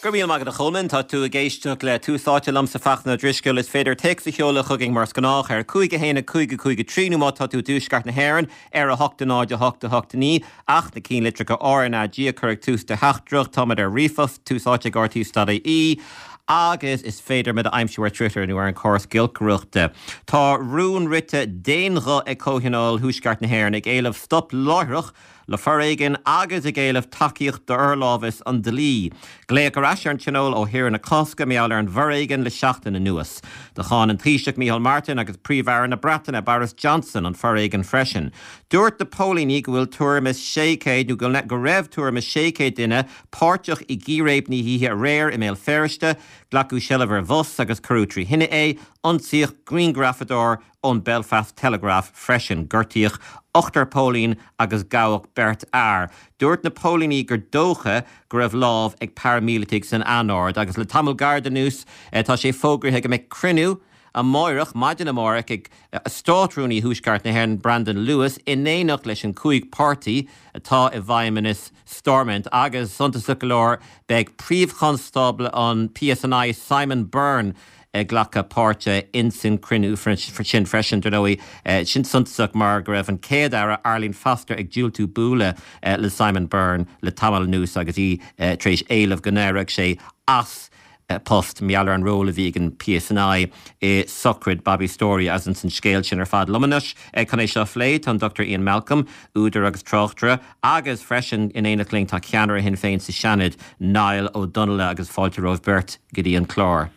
Go raibh míle maith agat a Cholmáin. Tá tú ag éisteacht le Tús Áite liomsa Fachtna Ó Drisceoil. Is féidir téacs a sheoladh chugainn mar is gnách ar 5 1 5 5 3 nó má tá tú i dtuaisceart na hÉireann ar 8 0 8 8 9 ach na cinnlitreacha RnaG a chur ag tús do theachtaireacht. Táimid ar ríomhphost, tús áite ag rte.ie agus is féidir muid a aimsiú ar Twitter nó ar an chóras giolcaireachta. Tá rún rite d'aon ghuth ag Comhthionól Thuaisceart na hÉireann ag éileamh stop láithreach le foréigean agus ag éileamh tacaíocht d'fhorlámhas an dlí. Glaodh ar ais ar an Tionól ó shaoire na Cásca mar gheall ar an bhforéigean le seachtain anuas. Do cháin an Taoiseach Micheál Martin agus Príomh-Aire na Breataine Boris Johnson an foréigean freisin. Dúirt na póilíní go bhfuil tuairim is 600 nó go raibh tuairim is 600 duine páirteach i gcíréib na hoíche aréir i mBéal Feirste. Glacadh seilbh ar bhus agus cuireadh trí thine é. Ionsaíodh grianghrafadóir ón Belfast Telegraph freisin. Gortaíodh ochtar póilín agus gabhadh beirt fhear. Dúirt na póilíní gur dócha go raibh lámh ag paraimíleataigh san anord agus le tamall gairid anuas tá sé fógraithe go mbeidh cruinniú amáireach, maidin amárach, ag Státrúnaí Thuaisceart na hÉireann Brandon Lewis in éineacht leis an gcúig páirtí atá i bhfeidhmeannas Stormont agus, suntasach go leor, beidh Príomh-Chonstábla an PSNI Simon Byrne ag glacadh páirte insan cruinniú sin freisin. Dar ndóigh, sin suntasach mar go raibh an Chéad-Aire Arlene Foster ag diúltú bualadh le Simon Byrne le tamall anuas agus í tar éis éileamh go n-éireodh sé as a post mar gheall ar an ról a bhí ag an PSNI i sochraid Bobby Storey agus insan scéal sin ar fad. Liom anois chun é seo a phlé tá an Dr Ian Malcolm, údar agus tráchtaire, agus freisin in éineacht linn tá ceannaire Shinn Féin sa Seanad, Niall Ó Donnaile agus fáilte romhaibh beirt go dtí an clár.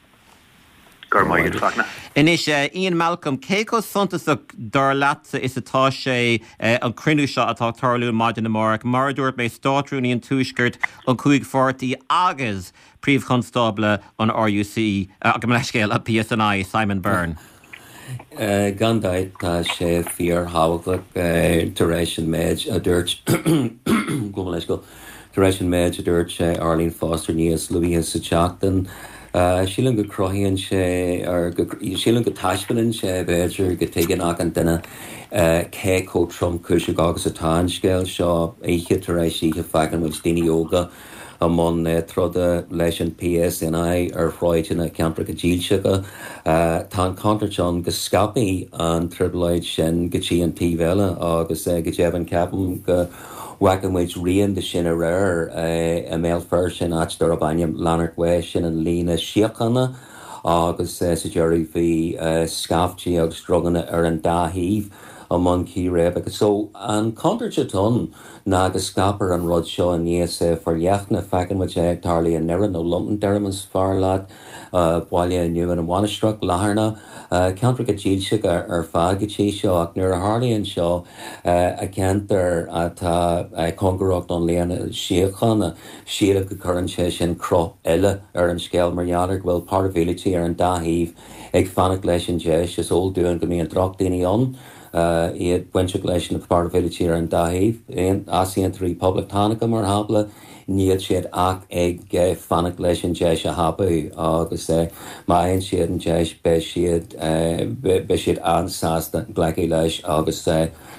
Go raibh maith agat, Fachtna. Anois, Ian Malcolm, cé chomh suntasach dar leatsa is atá sé an cruinniú seo atá ag tarlú maidin amárach, mar a dúirt mé, Státrúnaí an Tuaiscirt, an chúig pháirtí agus Príomh-Chonstábla an RUC, gabh mo leithscéal, an PSNI, Simon Byrne? Gan dabht tá sé fíorthábhachtach tar éis an méid a dúirt, gabh mo leithscéal, tar éis an méid a dúirt Arlene Foster níos luaithe sa tseachtain. Sílim go cruthaíonn sé, or go, sílim go taispeánann sé b'fhéidir go dtuigeann achan duine cé chomh tromchúiseach agus atá an scéal seo. Oíche tar éis oíche feiceann muid daoine óga i mbun troda leis an PSNI ar shráideanna ceantracha dílseacha. Tá an chontúirt ann go scaipfidh an trioblóid sin go dtí an taobh eile agus go deimhin ceapaim go bhfaca muid rian de sin aréir i mBéal Feirste in áit darb ainm Lanark Way, sin an líne síochána agus sa deireadh bhí scaiftí agus druganna ar an dá thaobh i mbun círéibeacha. So an chontúirt atá ann. ná go scaipfear an rud seo níos forleithne. Feiceann muid é ag tarlú i nDoire, nó Londonderry más fearr leat, Baile Nua na Mainistreach, Latharna, ceantracha dílseacha ar fad go dtí seo. Ach nuair a tharlaíonn seo i gceantar atá cóngarach don líne síochána, sílim go gcuireann sé sin cruth eile ar an scéal mar gheall ar go bhfuil paraimhílitigh ar an dá thaobh ag fanacht leis an deis. Is eol dúinn go mbíonn drochdhaoine ann. iad bainteach leis na paraimhílitigh ar an dá thaobh, easaontóirí poblachtánacha mar shampla, níl siad ach ag fanacht leis an deis a thapú agus má fhaigheann siad an deis beidh siad beidh siad an-sásta glacadh leis agus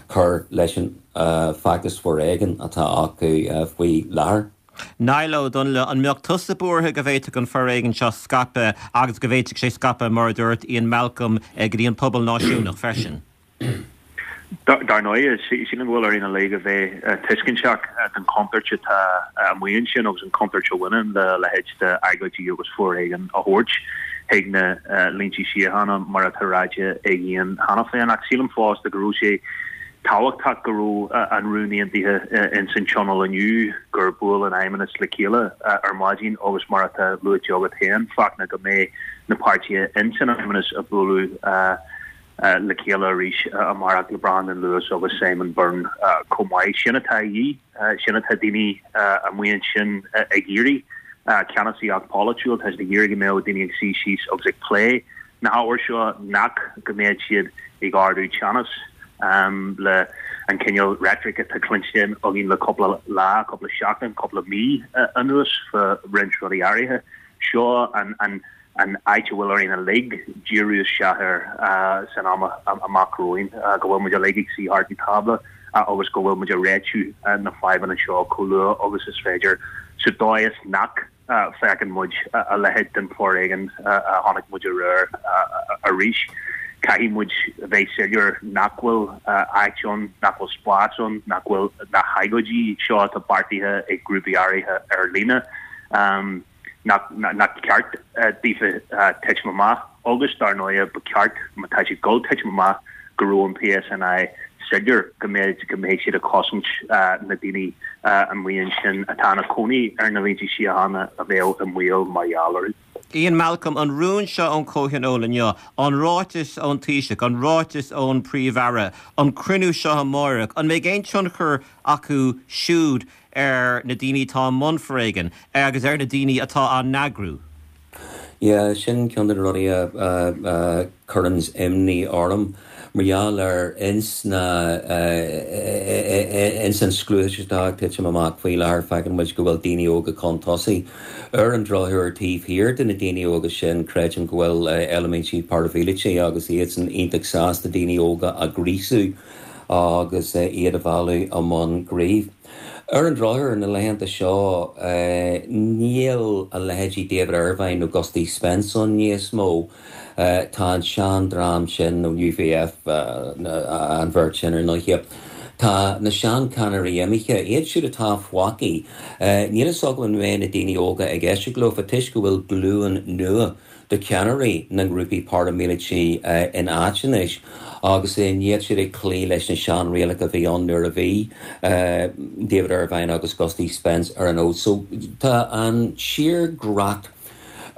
cur leis an bhfeachtas foréigin atá acu faoi láthair. Niall Ó Donnaile, an mbeadh tusa buartha go bhféadfadh an foréigean seo scaipeadh agus go bhféadfadh sé scaipeadh, mar a dúirt Ian Malcolm, go dtí an pobal náisiúnach freisin? Dar ndóigh, sílim go bhfuil orainn uilig a bheith tuisceantach den chontúirt atá amuigh ansin agus an chontúirt a bhaineann le a leithéid d'agóidí agus foréigean a thabhairt chuig na línte síochána mar atá ráite ag Ian cheana féin. Ach sílim fosta go raibh sé tábhachtach go raibh an rún aontaithe ins an Tionól inniu, gur bhuail an Fheidhmeannas le chéile ar maidin agus mar atá luaite agat féin, Fachtna, go mbeidh na páirtithe ins an Fheidhmeannas ag bualadh le chéile arís amárach le Brandon Lewis agus Simon Byrne chomh maith. Sin atá a dhíth, sin atá daoine amuigh ansin ag iarraidh, ceannasaíocht pholaitiúil, tá siad ag iarraidh go mbeadh daoine ag suí síos agus ag plé na hábhair seo nach go mbeadh siad ag ardú teannas le an cineál reitric atá cluinste againn le cúpla lá, cúpla seachtain, cúpla mí anuas fá roinnt rudaí áirithe. Seo an an an áit a bhfuil orainn uilig díriú isteach air san am amach romhainn, go bhfuil muid uilig ag suí thart an tábla. agus go bhfuil muid ag réitiú na fadhbanna seo chomh luath agus is féidir sa dóigh is nach bhfeiceann muid a leithéid den foréigean a chonaic muid aréir arís. Caithfidh muid a bheith soiléir nach bhfuil áit ann, nach bhfuil spás ann, nach bhfuil na hagóidí seo atá beartaithe ag grúpaí áirithe ar líne, nach ceart daofa titim amach agus dar ndóigh ba cheart má tá siad ag dul titim amach go raibh an PSNI soiléir go mbeidh go mbeidh siad ag cosaint na daoine amuigh ansin atá ina cónaí ar na línte síochána a bheadh i mbaol mar gheall orthu. Ian Malcolm, an rún seo ón Chomhthionól inniu, an ráiteas ón Taoiseach, an ráiteas ón Príomh-Aire, an cruinniú seo amáireach, an mbeidh aon tionchar acu siúd ar na daoine atá i mbun foréigin agus ar na daoine atá á n-eagrú? Yeah, sin ceann de na rudaí a chuireanns imní orm mar gheall ar ins na, ins an scliúchas atá ag titim amach faoi láthair feiceann muid go bhfuil daoine óga chun tosaigh. Ar an drochuair taobh thiar de na daoine óga sin creidim go bhfuil eilimintí paraimhíleataí agus iadsan iontach sásta daoine óga a ghríosú agus iad a mhealladh i mbun gnímh. Ar an drochuair, na laethanta seo, níl a leithéidí David Ervine nó Gusty Spence ann níos mó. Tá an sean-dream sin, nó UVF, an bheirt sin ar ndóighe, tá na seancheannairí imithe, iad siúd atá fágtha. Níl fhios agam an mbeidh na daoine óga ag éisteacht leofa toisc go bhfuil glúin nua de cheannairí na ngrúpaí paraimíleataí in áit anois agus níl siad ag cloí leis na seanrialacha a bhí ann nuair a bhí David Ervine agus Gusty Spence ar an fhód. So tá an tírdhreach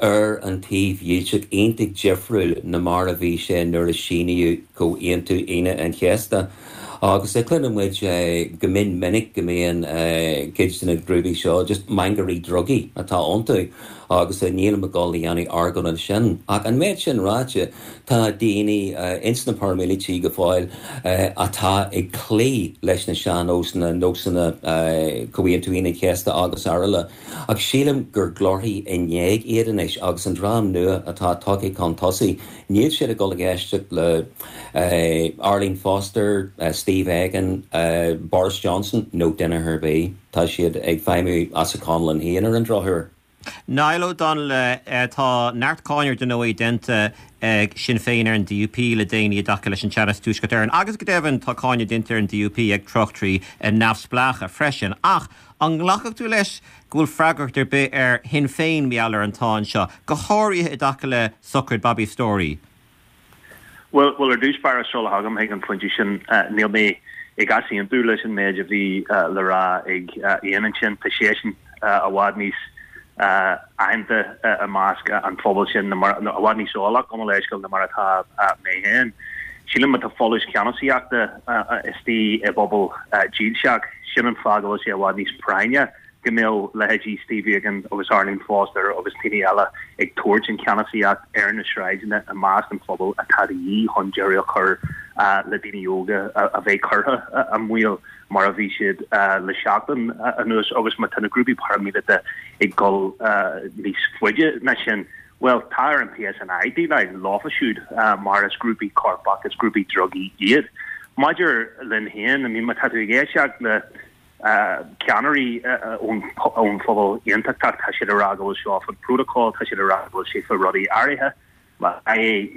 ar an taobh dhílseach iontach difriúil ná mar a bhí sé nuair a síníodh Comhaontú Aoine an Chéasta. Agus cluineann muid go mion minic go mbíonn cuid de na grúpaí seo just mangairí drugaí atá iontu. Agus nílim ag dul a dhéanamh argóint ansin. Ach an méid sin ráite, tá daoine ins na paraimíleataigh go fóill atá ag cloí leis na sean-nósanna, nósanna Chomhaontú Aoine an Chéasta agus araile. Ach sílim gur glórthaí in éag iad anois agus an dream nua atá tagtha chun tosaigh, níl siad ag dul ag éisteacht le Arlene Foster, Steve Aiken, Boris Johnson nó duine ar bith. Tá siad ag feidhmiú as a conlán féin ar an drochuair. Niall Ó Donnaile, Tá neart cáineadh dar ndóigh déanta ag Sinn Féin ar an DUP le déanaí i dtaca leis an teannas i dTuaisceart Éireann agus go deimhin tá cáineadh déanta ar an DUP ag tráchtairí neamhspleácha freisin. Ach an nglacfadh tú leis go bhfuil freagracht ar bith ar Shinn Féin mar gheall ar an tsáinn seo, go háirithe i dtaca le sochraid Bobby Storey? Bhuel, ar dtús báire, sula thagaim chuig an phointe sin, níl mé ag easaontú leis an méid a bhí le rá ag Ian ansin. Tá seisean i bhfad níos aitheanta i measc an phobail sin, nó i bhfad níos eolach, gabh mo leithscéal, ná mar atá mé féin. Sílim má tá folús ceannasaíochta istigh i bpobal dílseach, sin an fáth go bhfuil sé i bhfad níos práinne go mbeadh leithéidí Steve Aiken agus Arlene Foster agus daoine eile ag tabhairt an cheannasaíocht ar na sráideanna i measc an phobail atá de dhíth chun deireadh a chur le daoine óga a bheith curtha i mbaol mar a bhí siad le seachtain anuas agus má tá na grúpaí paraimíleata ag dul níos faide ná sin, bhuel, tá ar an PSNI déileáil leofa siúd mar is grúpaí coirpeach, is grúpaí drugaí iad. Maidir linn féin, I mean, má tá tú ag éisteacht le ceannairí ón phobal aontachtach, tá siad ag rá go bhfuil seo faoin protocol, tá siad ag rá go bhfuil sé faoi rudaí áirithe.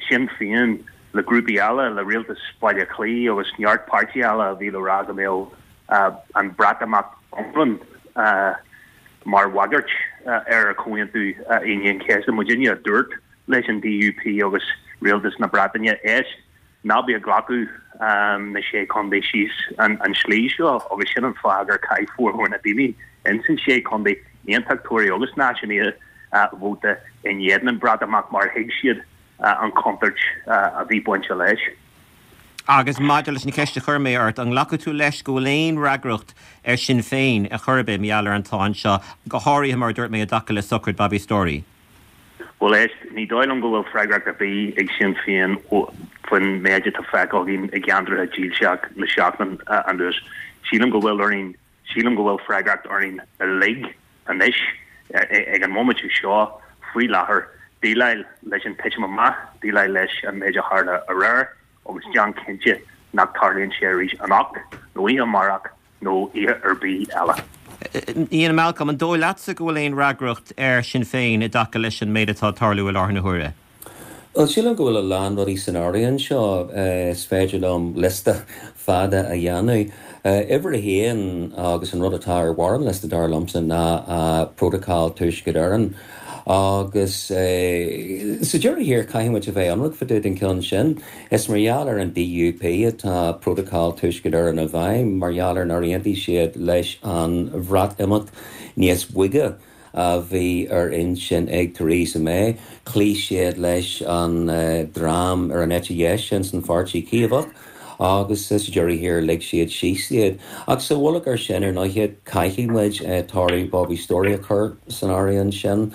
Sinn Féin le grúpaí eile, le rialtas Bhaile Átha Cliath agus neart páirtithe eile a bhí le rá go mbeadh an Breatimeacht iomlán mar bhagairt ar Chomhaontú Aoine an Chéasta. Muidinne a dúirt leis an DUP agus rialtas na Breataine, éist, Ná bí ag glacadh na Sé Chontae síos an tslí seo agus sin an fáth gur chaith formhór na daoine ins an Sé Chontae, Aontachtóirí agus Náisiúnaithe, vóta in éadan an Bhreatimeacht mar thuig siad an chontúirt a bhí bainte leis. Agus maidir leis an cheist a chuir mé ort, an nglacfaidh tú leis go bhfuil aon fhreagracht ar Sinn Féin ar chor ar bith mar gheall ar an tsáinn seo, go háirithe mar a dúirt mé i dtaca le sochraid Bobby Storey? Bhuel, éist, ní dóigh liom go bhfuil freagracht ar bith ag Sinn Féin faoin méid atá feicthe againn i gceantracha dílseach le seachtain anuas. Sílim go bhfuil orainn, sílim go bhfuil freagracht orainn uilig anois, ag an mbomaite seo, faoi láthair, déileáil leis an titim amach, déileáil leis an méid a tharla aréir agus déan cinnte. nach dtarlaíonn sé arís anocht nó oíche amárach nó oíche ar bith eile. Ian Malcolm, an dóigh leatsa go bhfuil aon fhreagracht ar Shinn Féin i dtaca leis an méid atá ag tarlú i láthair na huaire? Bhuel, sílim go bhfuil a lán rudaí san áireamh anseo. Is féidir liom liosta fada a dhéanamh. Uimhir a haon, agus an rud atá ar bharr an liosta, dar liomsa, ná Prótacal Tuaisceart Éireann. Agus sa deireadh thiar, caithfidh muid a bheith ionraic fá dtaobh den cheann sin. Is mar gheall ar an DUP atá Prótacal Tuaisceart Éireann i bhfeidhm, mar gheall ar nár aontaigh siad leis an Bhreatimeacht níos boige a bhí ar intinn ag Theresa May. Chloígh siad leis an dream ar an eite dheis sin san Pháirtí Caomhach agus sa deireadh thiar lig siad síos iad. Ach sa mhullach ar sin, ar ndóighe, caithfidh muid toradh Bobby Storey a chur san áireamh ansin.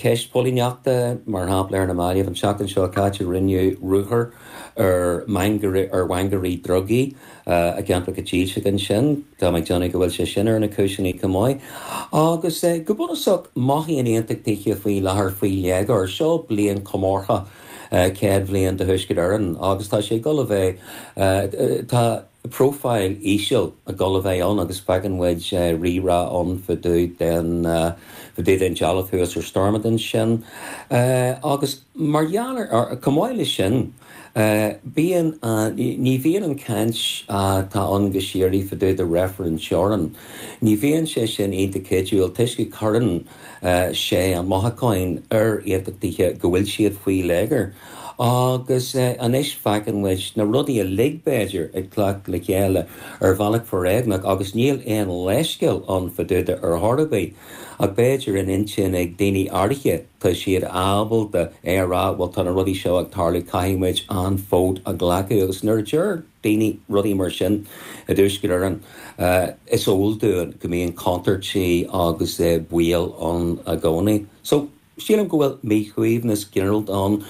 Ceist póilíneachta, mar shampla, ar na mallaibh, an tseachtain seo caite rinneadh ruathar ar mhangairí drugaí i gceantracha dílseacha ansin. Tá mé ag déanamh go bhfuil sé sin ar na cúiseanna chomh maith. Agus go bunúsach, mothaíonn aontachtaithe faoi láthair faoi léigear. Seo bliain chomórtha 100 bhliain de Thuaisceart Éireann agus tá sé ag dul a bheith, tá profile íseal ag dul a bheith ann agus feiceann muid rírá ann fá dtaobh den, fá dtaobh den dealbh thuas ar Stormont ansin. Agus mar gheall ar, chomh maith leis sin, bíonn, ní bhíonn an chaint atá ann go síoraí fá dtaobh de reifreann teorann, ní bhíonn sé sin iontach cuidiúil toisc go cuireann sé an mothúchán ar aontachtaithe go bhfuil siad faoi léigear. Agus anois feiceann muid na rudaí uilig, b'fhéidir, ag teacht le chéile ar bhealach foréigneach agus níl aon leithscéal ann fá dtaobh de ar chor ar bith. Ach b'fhéidir in intinn ag daoine áirithe tá siad ábalta é a rá, bhuel tá na rudaí seo ag tarlú, caithfidh muid an fód a ghlacadh. Agus nuair a deir daoine rudaí mar sin i dTuaisceart Éireann, is eol dúinn go mbíonn contúirtí agus baol ann i gcónaí. So, sílim go bhfuil míshuaimhneas ginearálta ann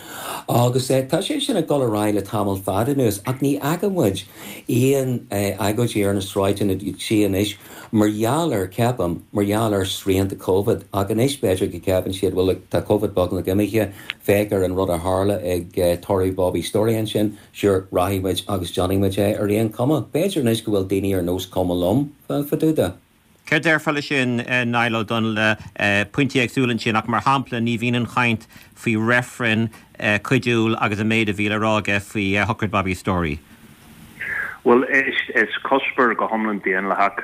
agus tá sé sin ag dul ar aghaidh le tamall fada anuas ach ní fhaca muid aon agóidí ar na sráideanna go dtí anois mar gheall ar, ceapaim, mar gheall ar srianta Covid ach anois b'fhéidir go gceapann siad bhuel look, tá Covid beagnach imithe, féach ar an rud a tharla ag tórramh Bobby Storey ansin, Sure, rachaidh muid agus déanfaidh muid é ar aon chuma. B'fhéidir anois go bhfuil daoine ar nós cuma liom fá dtaobh de. Céard déarfá leis sin, Niall Ó Donnaile? Pointí éagsúla ansin ach mar shampla ní bhíonn an chaint faoi reifreann cuidiúil agus an méid a bhí le rá aige faoi shochraid Bobby Storey. Bhuel, is cuspóir go hiomlán daonlathach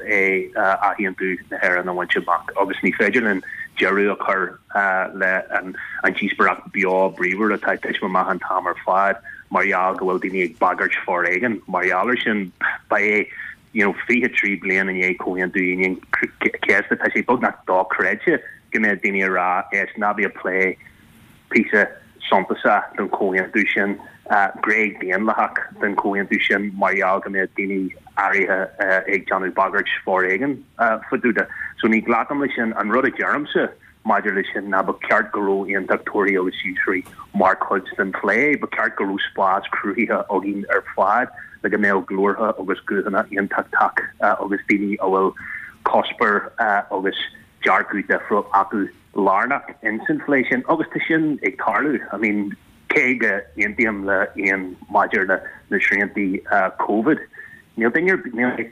é athaontú na hÉireann a bhaint amach agus ní féidir linn deireadh a chur le an díospóireacht beo bríomhar atá ag titim amach an t-am ar fad mar gheall go bhfuil daoine ag bagairt foréigin mar gheall air sin. Ba é you know 23 bliain i ndiaidh Comhaontú Aoine an Chéasta tá sé beagnach dochreidte go mbeadh daoine ag rá éist ná bí ag plé píosa suntasach den chomhaontú sin, gné daonlathach den chomhaontú sin mar gheall go mbeadh daoine áirithe ag déanamh bagairt foréigin fá dtaobh de. So ní ghlacaim leis sin. An rud a deirimse maidir leis sin ná ba cheart go raibh aontachtóirí agus dílseoirí mar chuid den phlé. Ba cheart go raibh spás cruthaithe againn ar fad le go mbeadh glórtha agus guthanna aontachtach agus daoine a bhfuil cuspóir agus dearcadh difriúil acu lárnach ins an phlé sin agus tá sin ag tarlú. I mean, cé go n-aontaím le Ian maidir le na sriantaí Covid, níl duine ar bith, níl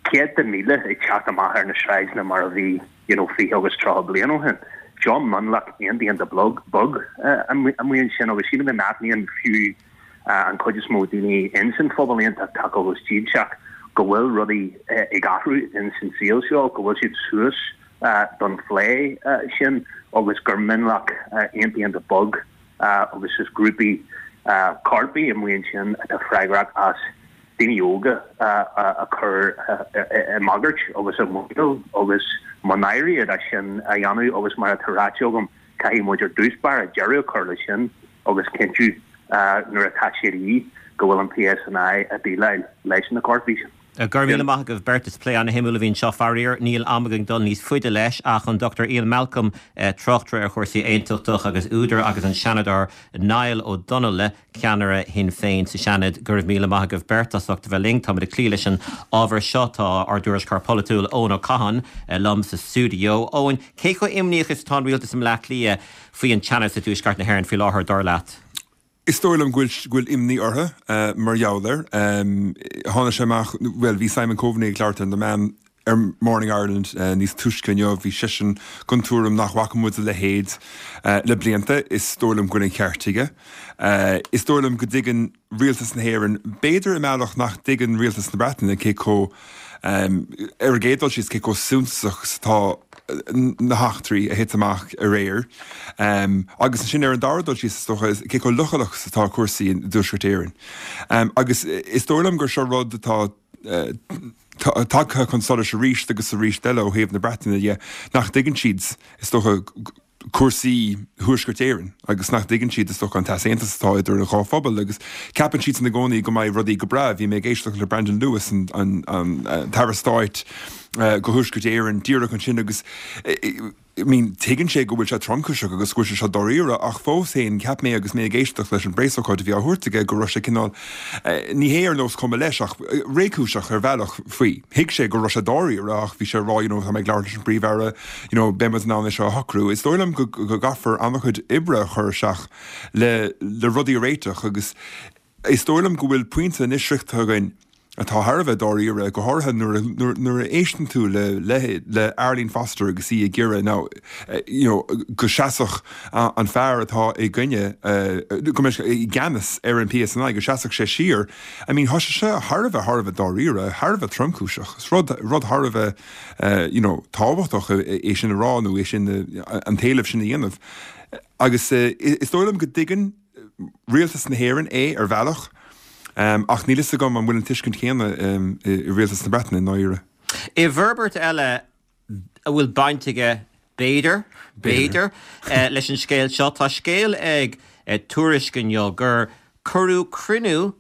céadta míle ag teacht amach ar na sráideanna mar a bhí, you know, 20 agus 30 bliain ó shin. Seo mionlach iontach iontach beag amuigh ansin agus sílim go n-aithníonn fiú an chuid is mó daoine ins an phobal aontachtach agus dílseach go bhfuil rudaí ag athrú ins an saol seo, go bhfuil siad suas don phlé sin agus gur mionlach iontach iontach beag agus is grúpaí coirpigh amuigh ansin atá freagrach as daoine óga a chur i mbagairt agus i mbaol agus mo náire iad as sin a dhéanamh agus mar atá ráite agam caithfidh muid ar dtús báire deireadh a chur leis sin agus cinntiú nuair atá sé de dhíth go bhfuil an PSNI ag déileáil leis na coirpigh sin. Go raibh míle maith agaibh beirt. Is plé ana-shuimiúil a bhí anseo. Faraor, níl am againn dul níos faide leis ach an Dr Ian Malcolm, tráchtaire ar chúrsaí aontachtach agus údar agus an Seanadóir Niall Ó Donnaile, ceannaire Shinn Féin sa Seanad. Go raibh míle maith agaibh beirt as ucht a bheith linn. Táimid ag cloí leis an ábhar seo. Tá ár dtuairisceoir polaitiúil Eoin Ó Catháin liom sa stiúideo. Eoin, cé chomh imníoch is atá an rialtas i mBleá Cliath faoi an teannas i dtuaisceart na hÉireann faoi láthair, dar leat? Is dóigh liom go bhfuil imní orthu mar gheall air. Tháinig sé amach, bhuel, bhí Simon Coveney ag labhairt ar na meáin ar Morning Ireland níos túisce inniu, bhí seisean den tuairim nach bhfaca muid a leithéid le blianta. Is dóigh liom go bhfuil an ceart aige. Is dóigh liom go dtuigeann rialtas na hÉireann, b'fhéidir i mbealach nach dtuigeann rialtas na Breataine cé chomh, ar an gcéad dul síos, cé chomh suntasach is atá na heachtraí a thit amach aréir. Agus ansin ar an dara dul síos, is dócha, cé chomh leochaileach is atá cúrsaí i dTuaisceart Éireann. Agus is dóigh liom gur seo rud atá tagtha chun solais arís agus arís eile ó thaobh na Breataine dhe, nach dtuigeann siad, is dócha, cúrsaí Thuaisceart Éireann agus nach dtuigeann siad, is dócha, an t-easaontas atá idir an dhá phobal agus ceapann siadsan i gcónaí go mbeidh rudaí go breá. Bhí mé ag éisteacht le Brandon Lewis, an tAire Stáit do Thuaisceart Éireann, díreach ansin agus I mean, tuigeann sé go bhfuil sé tromchúiseach agus go bhfuil sé seo dáiríre ach fós féin, cheap mé agus mé ag éisteacht leis an bpreasócáid a bhí á thabhairt aige go raibh sé cineál, ní hé ar nós cuma leis ach réchúiseach ar bhealach faoi. Thuig sé go raibh sé dáiríre ach bhí sé ag rá, you know, tá mé ag labhairt leis an bPríomh-Aire, you know, beidh muid in ann é seo a shocrú. Is dóigh liom go gcaithfear an-chuid oibre a chur isteach le le rudaí a réiteach agus is dóigh liom go bhfuil pointe anois sroichte againn atá thar a bheith dáiríre, go háirithe nuair a nuair a éisteann tú le le le Arlene Foster agus í ag iarraidh now you know go seasfadh an fear atá i gcoinne go mbeidh i gceannas ar an PSNI go seasfadh sé siar. I mean tá sé seo thar a bheith thar a bheith dáiríre, thar a bheith tromchúiseach. Is rud rud thar a bheith you know, tábhachtach é sin a rá nó é sin, an t-éileamh sin a dhéanamh. Agus is dóigh liom go dtuigeann rialtas na hÉireann é ar bhealach, ach níl fhios agam an bhfuil an tuiscint chéanna i rialtas na Breataine i ndáiríre. I bhforbairt eile a bhfuil baint aige, b'fhéidir, b'fhéidir, leis an scéal seo, tá scéal ag Tuairisc inniu gur Cuireadh cruinniú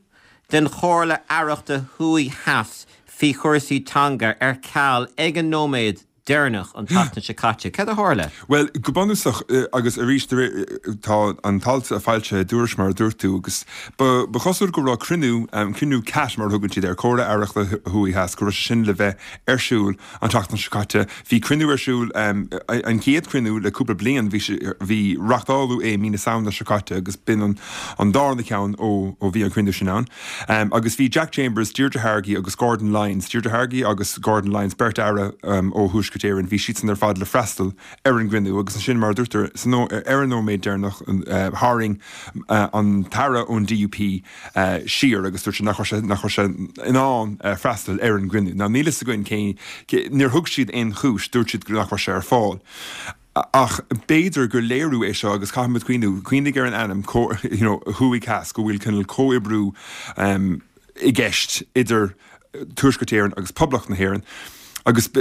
den Chomhairle Aireachta Thuaidh Theas faoi chúrsaí teanga ar ceal ag an nóiméad deireanach an tseachtain seo caite. Céard a tharla? Bhuel, go bunúsach, agus arís, tá an t-alt foilsithe i dTuairisc mar a dúirt tú, agus ba chosúil go raibh cruinniú, cruinniú CAT mar a thugann siad air, Comhairle Aireachta Thuaidh Theas, go raibh sé sin le bheith ar siúl an tseachtain seo caite. Bhí cruinniú ar siúl, an chéad chruinniú le cúpla bliain, bhí sé, bhí, reachtáladh é mí na Samhna seo caite agus b'in an an darna ceann ó ó bhí an cruinniú sin ann. Agus bhí Jack Chambers, Deirdre Hargey agus Gordon Lyons, Deirdre Hargey agus Gordon Lyons, beirt aire ó Thuaisceart Éireann, bhí siadsan ar fad le freastal ar an gcruinniú agus ansin mar a dúirt tú, ar an nóiméad deireanach tharraing an t-aire ón DUP siar agus dúirt sé nach raibh sé nach raibh sé in ann freastal ar an gcruinniú. Now níl fhios againn cé, níor thug siad aon chúis, dúirt siad nach raibh sé ar fáil. Ach b'fhéidir gur léiriú é seo agus caithfidh muid cuimhniú, cuimhnigh ar an ainm, you know, thuaidh theas, go bhfuil cineál comhoibriú i gceist idir Tuaisceart Éireann agus Poblacht na hÉireann agus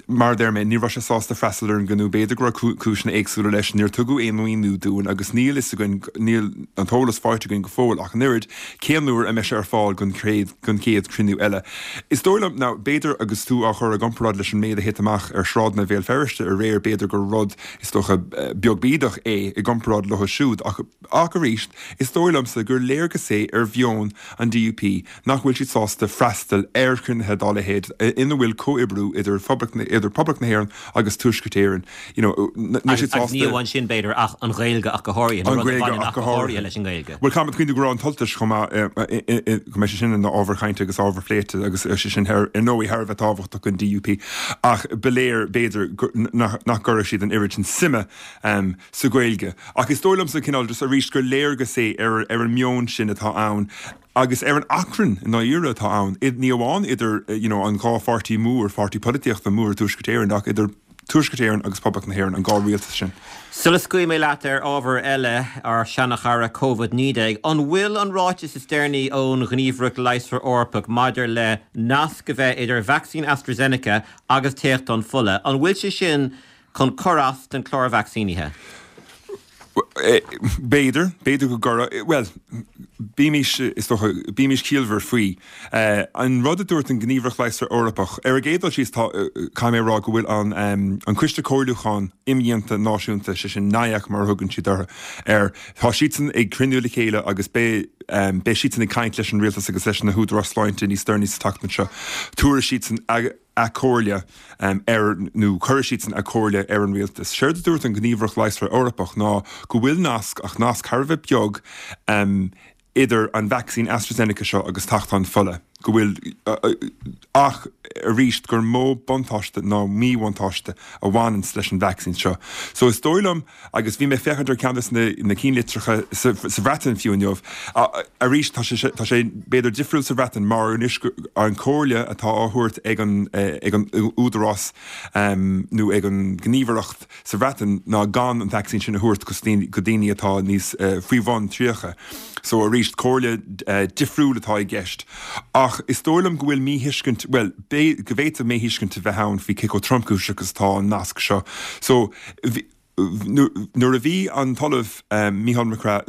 mar a deir mé, ní raibh sé sásta freastal ar an gcruinniú, b'fhéidir go raibh cúiseanna éagsúla leis, níor tugadh aon mhíniú dúinn agus níl fhios againn, níl an t-eolas faighte againn go fóill ach an oiread, cén uair a mbeidh sé ar fáil don chéad, don chéad chruinniú eile. Is dóigh liom, now, b'fhéidir agus tú á chur i gcomparáid leis an méid a thit amach ar shráideanna Bhéal Feirste aréir, b'fhéidir gur rud, is dócha, beag bídeach é i gcomparáid leo siúd ach, ach arís, is dóigh liomsa gur léargas é ar mheon an DUP nach bhfuil siad sásta freastal ar chruinnithe dá leithéid ina bhfuil comhoibriú idir Phoblacht idir Poblacht na hÉireann agus Tuaisceart Éireann. You know, níl siad sásta. Agus ní amháin sin, b'fhéidir, ach an Ghaeilge ach go háirithe, nó rud a bhaineann ach go háirithe leis an nGaeilge. Bhuel, caithfidh muid cuimhniú go raibh an tUltais chomh maith, go mbeidh sé sin ina ábhar cainte agus ábhar pléite agus sé sin ar ndóigh thar a bheith tábhachtach don DUP ach ba léir, b'fhéidir, nach gcuirfeadh siad an oiread sin suime sa Ghaeilge. Ach is dóigh liomsa, cineál, just arís, gur léargas é ar ar an meon sin atá ann agus ar an achrann i ndáiríre atá ann, ní amháin idir you know an dhá pháirtí mór, pháirtí polaitíochta mór i dTuaisceart Éireann ach idir Tuaisceart Éireann agus Poblacht na hÉireann, an dhá rialtas sin. Sula scaoilfidh mé leat ar ábhar eile, ár seanachara Covid-19, an bhfuil an ráiteas is deireanaí ón Ghníomhaireacht Leigheasra Eorpach maidir le nasc a bheith idir vacsaín AstraZeneca agus téachtán fola, an bhfuil sé sin chun cur as don chlár vacsaínithe? B'fhéidir, b'fhéidir go gcuirfeadh, bhuel, bímís, is dócha, bímís ciallmhar faoi. An rud a dúirt an Ghníomhaireacht Leigheasra Eorpach, ar an gcéad dul síos, tá, caithfidh mé a rá go bhfuil an, an Coiste Comhairliúcháin Imdhíonta Náisiúnta, sé sin NIAC mar a thugann siad orthu, air, tá siadsan ag cruinniú le chéile agus beidh, beidh siadsan ag caint leis an rialtas agus leis na húdaráis sláinte níos deireanaí sa tseachtain seo. Tabharfaidh siadsan. a comhairle ar, nó cuirfidh siadsan a comhairle ar an rialtas. Séard a dúirt an Ghníomhaireacht Leigheasra Eorpach ná go bhfuil nasc, ach nasc thar a bheith beag, idir an vacsaín AstraZeneca seo agus tachtán fola, go bhfuil, ach arís gur mó buntáiste ná míbhuntáiste a bhaineanns leis an vacsaín seo. So is dóigh liom, agus bhí mé ag féachaint ar ceann de na cinnlitreacha sa Bhreatain fiú inniu, arís tá sé, tá sé b'fhéidir difriúil sa Bhreatain mar anois an comhairle atá á thabhairt ag an, ag an údarás nó ag an gníomhaireacht, sa Bhreatain ná gan an vacsaín sin a thabhairt go daoine atá níos faoi bhun 30. So arís, comhairle difriúil atá i gceist. Ach is dóigh liom go bhfuil míthuiscint, bhuel, go bhféadfadh míthuiscint a bheith ann faoi cé chomh tromchúiseach is atá an nasc seo. So nuair a bhí an tOllamh Mícheál McGrath,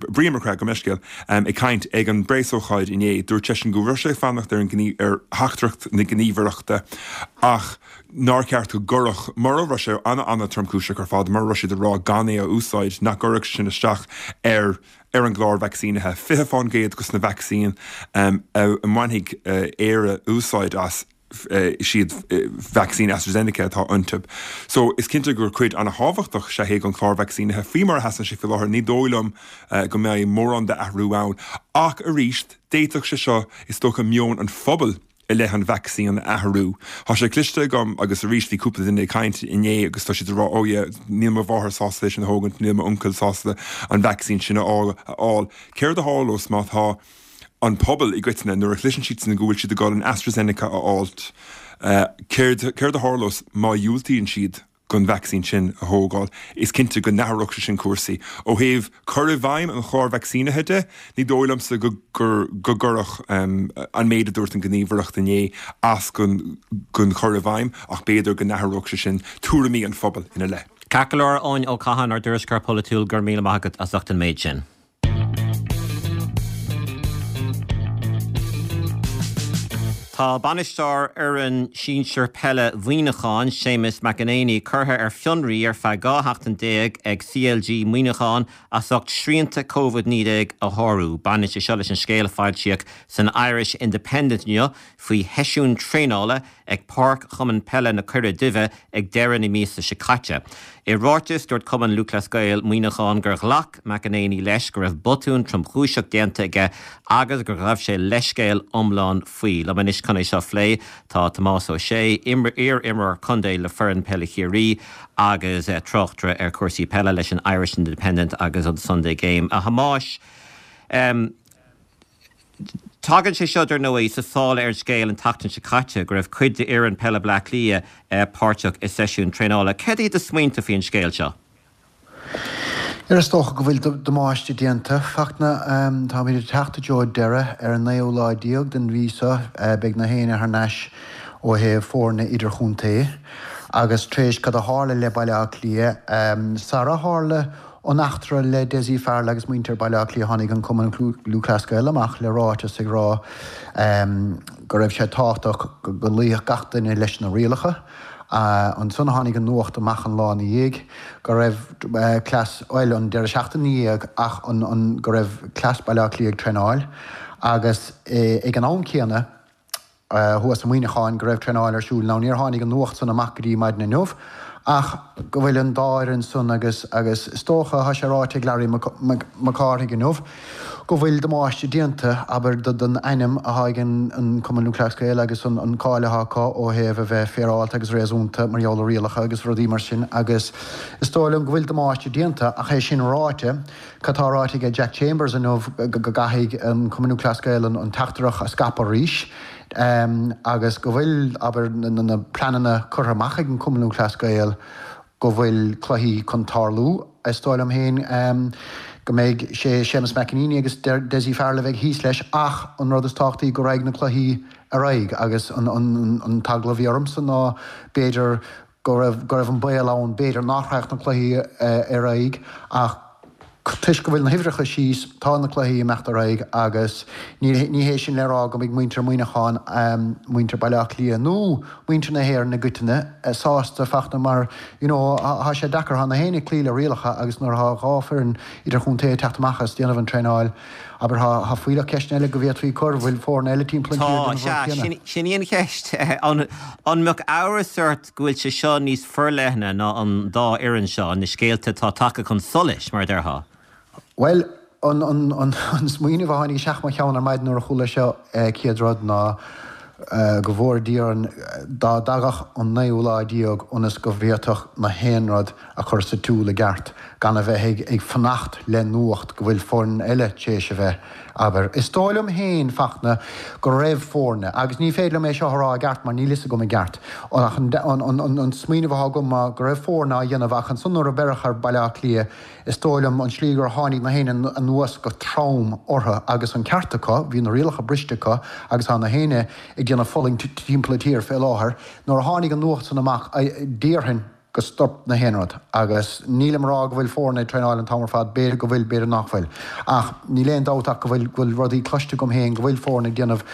Brian MacCraith, gabh mo leithscéal, ag caint ag an bpreasócáid inné, dúirt seisean go raibh sé ag fanacht ar an ar theachtaireacht na gníomhaireachta ach nár cheart go gcuirfeadh, mura raibh sé an-an-tromchúiseach ar fad, mura raibh siad ag rá gan é a úsáid, nach gcuirfeadh sin isteach ar ar an gclár vacsaínithe. 20 fán gcéad dos na vacsaín a mbainfidh Éire úsáid as, is iad vacsaín AstraZeneca atá iontu. So, is cinnte gur cuid an-thábhachtach is ea é den chlár vacsaínithe. Faoi mar a sheasann sé faoi láthair, ní dóigh liom go mbeidh mórán d'athrú ann. Ach arís, d'fhéadfadh sé seo, is dócha, meon an phobail i leith an vacsaín a athrú. Tá sé cloiste agam agus arís bhí cúpla duine ag caint inné agus tá siad ag rá oh yeah níl mo mháthair sásta é sin a thógaint, níl m'uncail sásta an vacsaín sin a fháil. Céard a tharlós má tá an pobal i gcoitinne nuair a chloiseann siadsan go bhfuil siad ag dul an AstraZeneca a fháilt, céard céard a tharlós má dhiúltaíonn siad? don vacsaín sin a thógáil. Is cinnte go n-athródh sé sin cúrsaí. Ó thaobh cur i bhfeidhm an chláir vacsaínithe de, ní dóigh liomsa go gcuirfeadh an méid a dúirt an Ghníomhaireacht inné as don chur i bhfeidhm ach b'fhéidir go n-athródh sé sin tuairimí an phobail ina leith. Ceart go leor, Eoin Ó Catháin, ár dtuairisceoir polaitiúil, go raibh míle maith agat as ucht an méid sin. Tá bainisteoir fhoireann sinsir peile Mhuineacháin, Séamus McEnaney, curtha ar fionraí ar feadh 12 sheachtain ag CLG Muineachán as ucht srianta Covid-19 a shárú. Baineann sé seo leis an scéal a foilsíodh san Irish Independent inniu faoi sheisiún traenála ag páirc Chumann Peile na Coirre Duibhe ag deireadh na míosa seo caite. I ráiteas, dúirt Cumann Lúthchleas Gael Muineachán gur ghlac McEnaney leis go raibh botún tromchúiseach déanta aige agus gur ghabh sé leithscéal iomlán faoi. Liom anois chun é seo a phlé tá Tomás Ó Sé, iar-imreoir contae le foireann peile Chiarraí agus tráchtaire ar chúrsaí peile leis an Irish Independent agus an Sunday Game. A Thomáis, Tagann sé seo, dar ndóigh, sa sáile ar an scéal an tseachtain seo caite go raibh cuid d'fhoireann peile Bhaile Átha Cliath páirteach i seisiún traenála. Céard iad do smaointe faoin scéal seo? Is dócha go bhfuil damáiste déanta. Fachtna, táimid ag teacht i dtreo deireadh. Ar an naoú lá déag den mhí seo beidh na héinne thar n-ais ó thaobh foirne idirchontae. Agus tar éis cad a tharla le Baile Átha Cliath, sara tharla An eachtra le Dessie Farrell agus muintir Baile Átha Cliath Tháinig an Cumann Lúthchleas Gael amach le ráiteas ag rá go raibh sé tábhachtach go gcloífeadh gach duine leis na rialacha. Ansan tháinig an nuacht amach an lá ina dhiaidh go raibh cleas, bhuel an deireadh seachtaine ina dhiaidh ach an go raibh cleas Baile Átha Cliath ag traenáil agus ag an am céanna, thuas i Muineachán go raibh traenáil ar siúl. Now níor tháinig an nuacht san amach go dtí maidin inniu ach go bhfuil an dá fhoireann san agus agus is dócha, tá sé ráite ag Larry Mac Cárthaigh inniu, go bhfuil damáiste déanta, abair, don ainm atá ag an Cumann Lúthchleas Gael agus an cáil atá acu ó thaobh a bheith féaráilte agus réasúnta mar gheall ar rialacha agus rudaí mar sin agus is dóigh liom go bhfuil damáiste déanta ach é sin ráite, Cad tá ráite aige Jack Chambers inniu go gcaithfidh an Cumann Lúthchleas Gael an teachtaireacht a scaipeadh arís agus go bhfuil, abair, na pleananna curtha amach ag an Cumann Lúthchleas Gael go bhfuil cluichí chun tarlú. Is dóigh liom féin go mbeidh sé Séamus McEnaney agus Dessie Farrell a bheidh thíos leis ach an rud is tábhachtaí go raghaidh na cluichí ar aghaidh agus an t-eagla a bhí ormsa ná b'fhéidir go raibh go raibh an baol ann b'fhéidir nach raghadh na cluichí ar aghaidh ach toisc go bhfuil na huimhreacha síos tá na cluichí ag imeacht ar aghaidh agus ní ní hé sin le rá go mbeidh muintir Mhuineacháin, muintir Baile Átha Cliath nó muintir na hÉireann i gcoitinne sásta Fachtna mar you know tá sé deacair, tá na héinne ag cloí le rialacha agus nuair atá dhá foireann idirchontae ag teacht amach is déanamh an traenáil. Abair, tá fuílleach ceisteanna eile go bhféadfaí cur, bhfuil foirne eile timpeall an tír ag déanamh an rud céanna? Tá, sea, sin í an cheist. An mbeadh amhras ort go bhfuil sé seo níos forleithne ná an dá fhoireann seo, na scéalta atá tagtha chun solais, mar a déarfá? Bhuel, an smaoineamh a tháinig isteach mo cheann ar maidin nuair a chuala seo chéad rud ná go bhfóire Dia orainn dá dtagadh an naoú lá déag ionas go bhféadfadh na haon rud a chur sa tsiúl i gceart, gan a bheith ag fanacht le nuacht go bhfuil foireann eile tar éis a bheith, abair. Is dóigh liom féin, Fachtna, go raibh foirne, agus ní féidir liom é seo a rá i gceart mar níl fhios agam i gceart, ach an smaoineamh atá agam ná go raibh foirne á dhéanamh ach ansan nuair a beireadh ar Baile Átha Cliath, Is dóigh liom, an slí gur tháinig na héinne anuas go trom orthu, agus an ceart acu, bhí na rialacha briste acu agus tá na héinne ag déanamh fulaingt timpeall an tír fé láthair. Nuair a tháinig an nuacht san amach, déarfainn go stop na haon rud. Agus nílim a rá go bhfuil foirne ag traenáil an t-am ar fad, b'fhéidir go bhfuil, b'fhéidir nach bhfuil. Ach níl aon dabht ach go bhfuil, go bhfuil rudaí cloiste agam féin go bhfuil foirne ag déanamh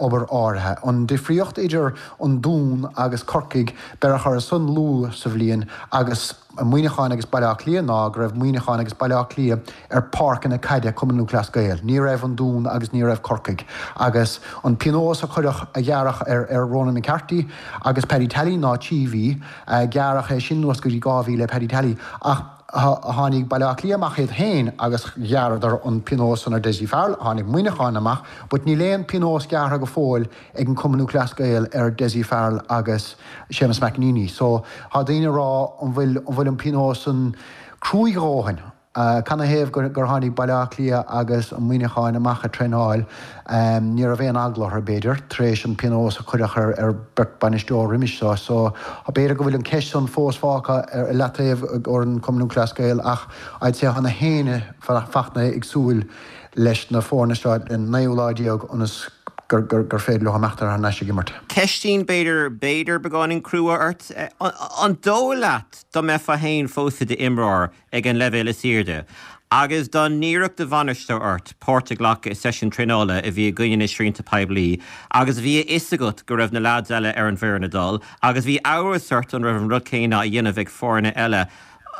obair áirithe. An difríocht idir an Dún agus Corcaigh, beireadh orthu san luath sa bhliain agus, Muineachán agus Baile Átha Cliath ná go raibh Muineachán agus Baile Átha Cliath ar páirceanna caide Cumann Lúthchleas Gael. Ní raibh an Dún agus ní raibh Corcaigh. Agus an pionós a cuireadh, a ghearradh ar ar Ronan McCarthy agus Paddy Tally ná 3 mhí. Gearradh é sin anuas go dtí 2 mhí le Paddy Tally. Ach tháinig Baile Átha Cliath amach iad féin agus ghearradar an pionós san ar Dessie Farrell. Tháinig Muineachán amach but níl aon pionós gearrtha go fóill ag an Cumann Lúthchleas Gael ar Dessie Farrell agus Séamus McEneaney. So, tá daoine ag rá an bhfuil, an bhfuil an pionós san cruaidh a dhóthain? Canathaobh gur, gur tháinig Baile Átha Cliath agus an Muineacháin amach ag traenáil, ní raibh aon eagla orthu, b'fhéidir, tar éis an pionós a cuireadh ar, ar beirt bainisteoir roimis seo. So, b'fhéidir go bhfuil an ceist san fós fágtha ar leataobh ag an Cumann Lúthchleas Gael ach I'd say tá na héinne, Fachtna, ag súil leis na foirne seo an naoú lá déag ionas gur féidir leo imeacht thar n-ais ag imirt. Ceistín b'fhéidir, b'fhéidir beagáinín crua ort. An dóigh leat dá mbeifeá féin fós i d'imreoir ag an leibhéal is airde agus dá n-iarrfadh do bhainisteoir ort páirt a ghlacadh i seisiún traenála a bhí i gcoinne na srianta poiblí agus bhí a fhios agat go raibh na leaids eile ar an bhfoireann ag dul agus bhí amhras ort an raibh an rud céanna á dhéanamh ag foirne eile,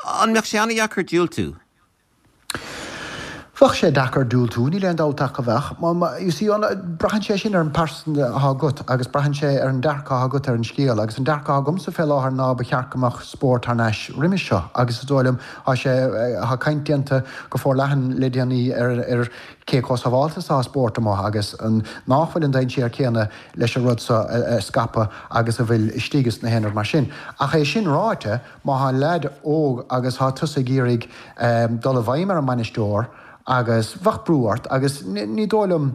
an mbeadh sé an-dheacair diúltú? Bheadh sé deacair diúltú, níl aon dabht ach go bheadh. You see, braitheann sé sin ar an pearsan atá agat agus braitheann sé ar an dearcadh atá agat ar an scéal agus an dearcadh atá agamsa fé láthair ná ba cheart go mbeadh spórt thar n-ais roimis seo agus is dóigh liom tá sé, tá caint déanta go forleathan le déanaí ar ar cé chomh sábháilte is atá spórt amuigh agus an nách bhfuil an dainséar céanna leis an rud seo a scaipeadh agus a bhfuil istigh is na haon rud mar sin. Ach é sin ráite, Má thá leaid óg agus thá tusa ag iarraidh dul i bhfeidhm ar an mbainisteoir agus bheadh brú ort agus ní dóigh liom,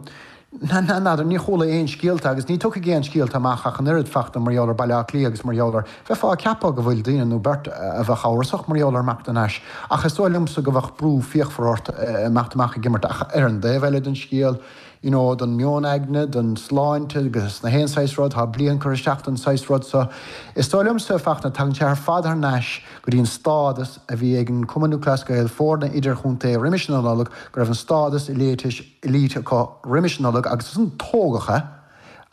n'fheadar, ní chuala aon scéalta agus ní tiocfaidh aon scéalta amach ach an oiread Fachtna mar gheall ar Baile Átha Cliath agus mar gheall ar, bheifeá ag ceapadh go bhfuil daoine nó beirt a bheadh amhrasach mar gheall ar imeacht thar n-ais ach is dóigh liomsa go bheadh brú fíochmhar ort imeacht amach ag imirt ach ar an dtaobh eile den scéal, you know, don meon aigne, don sláinte agus na haon saghas rud, tá bliain curtha isteach don saghas rud so. Is dóigh liomsa, Fachtna, tagann sé ar fad thar n-ais go dtí an stádas a bhí ag an Cumann Lúthchleas Gael, foirne idirchontae roimis an Nollaig, go raibh an stádas elite, elite acu roimis an Nollaig agus ansan tógadh é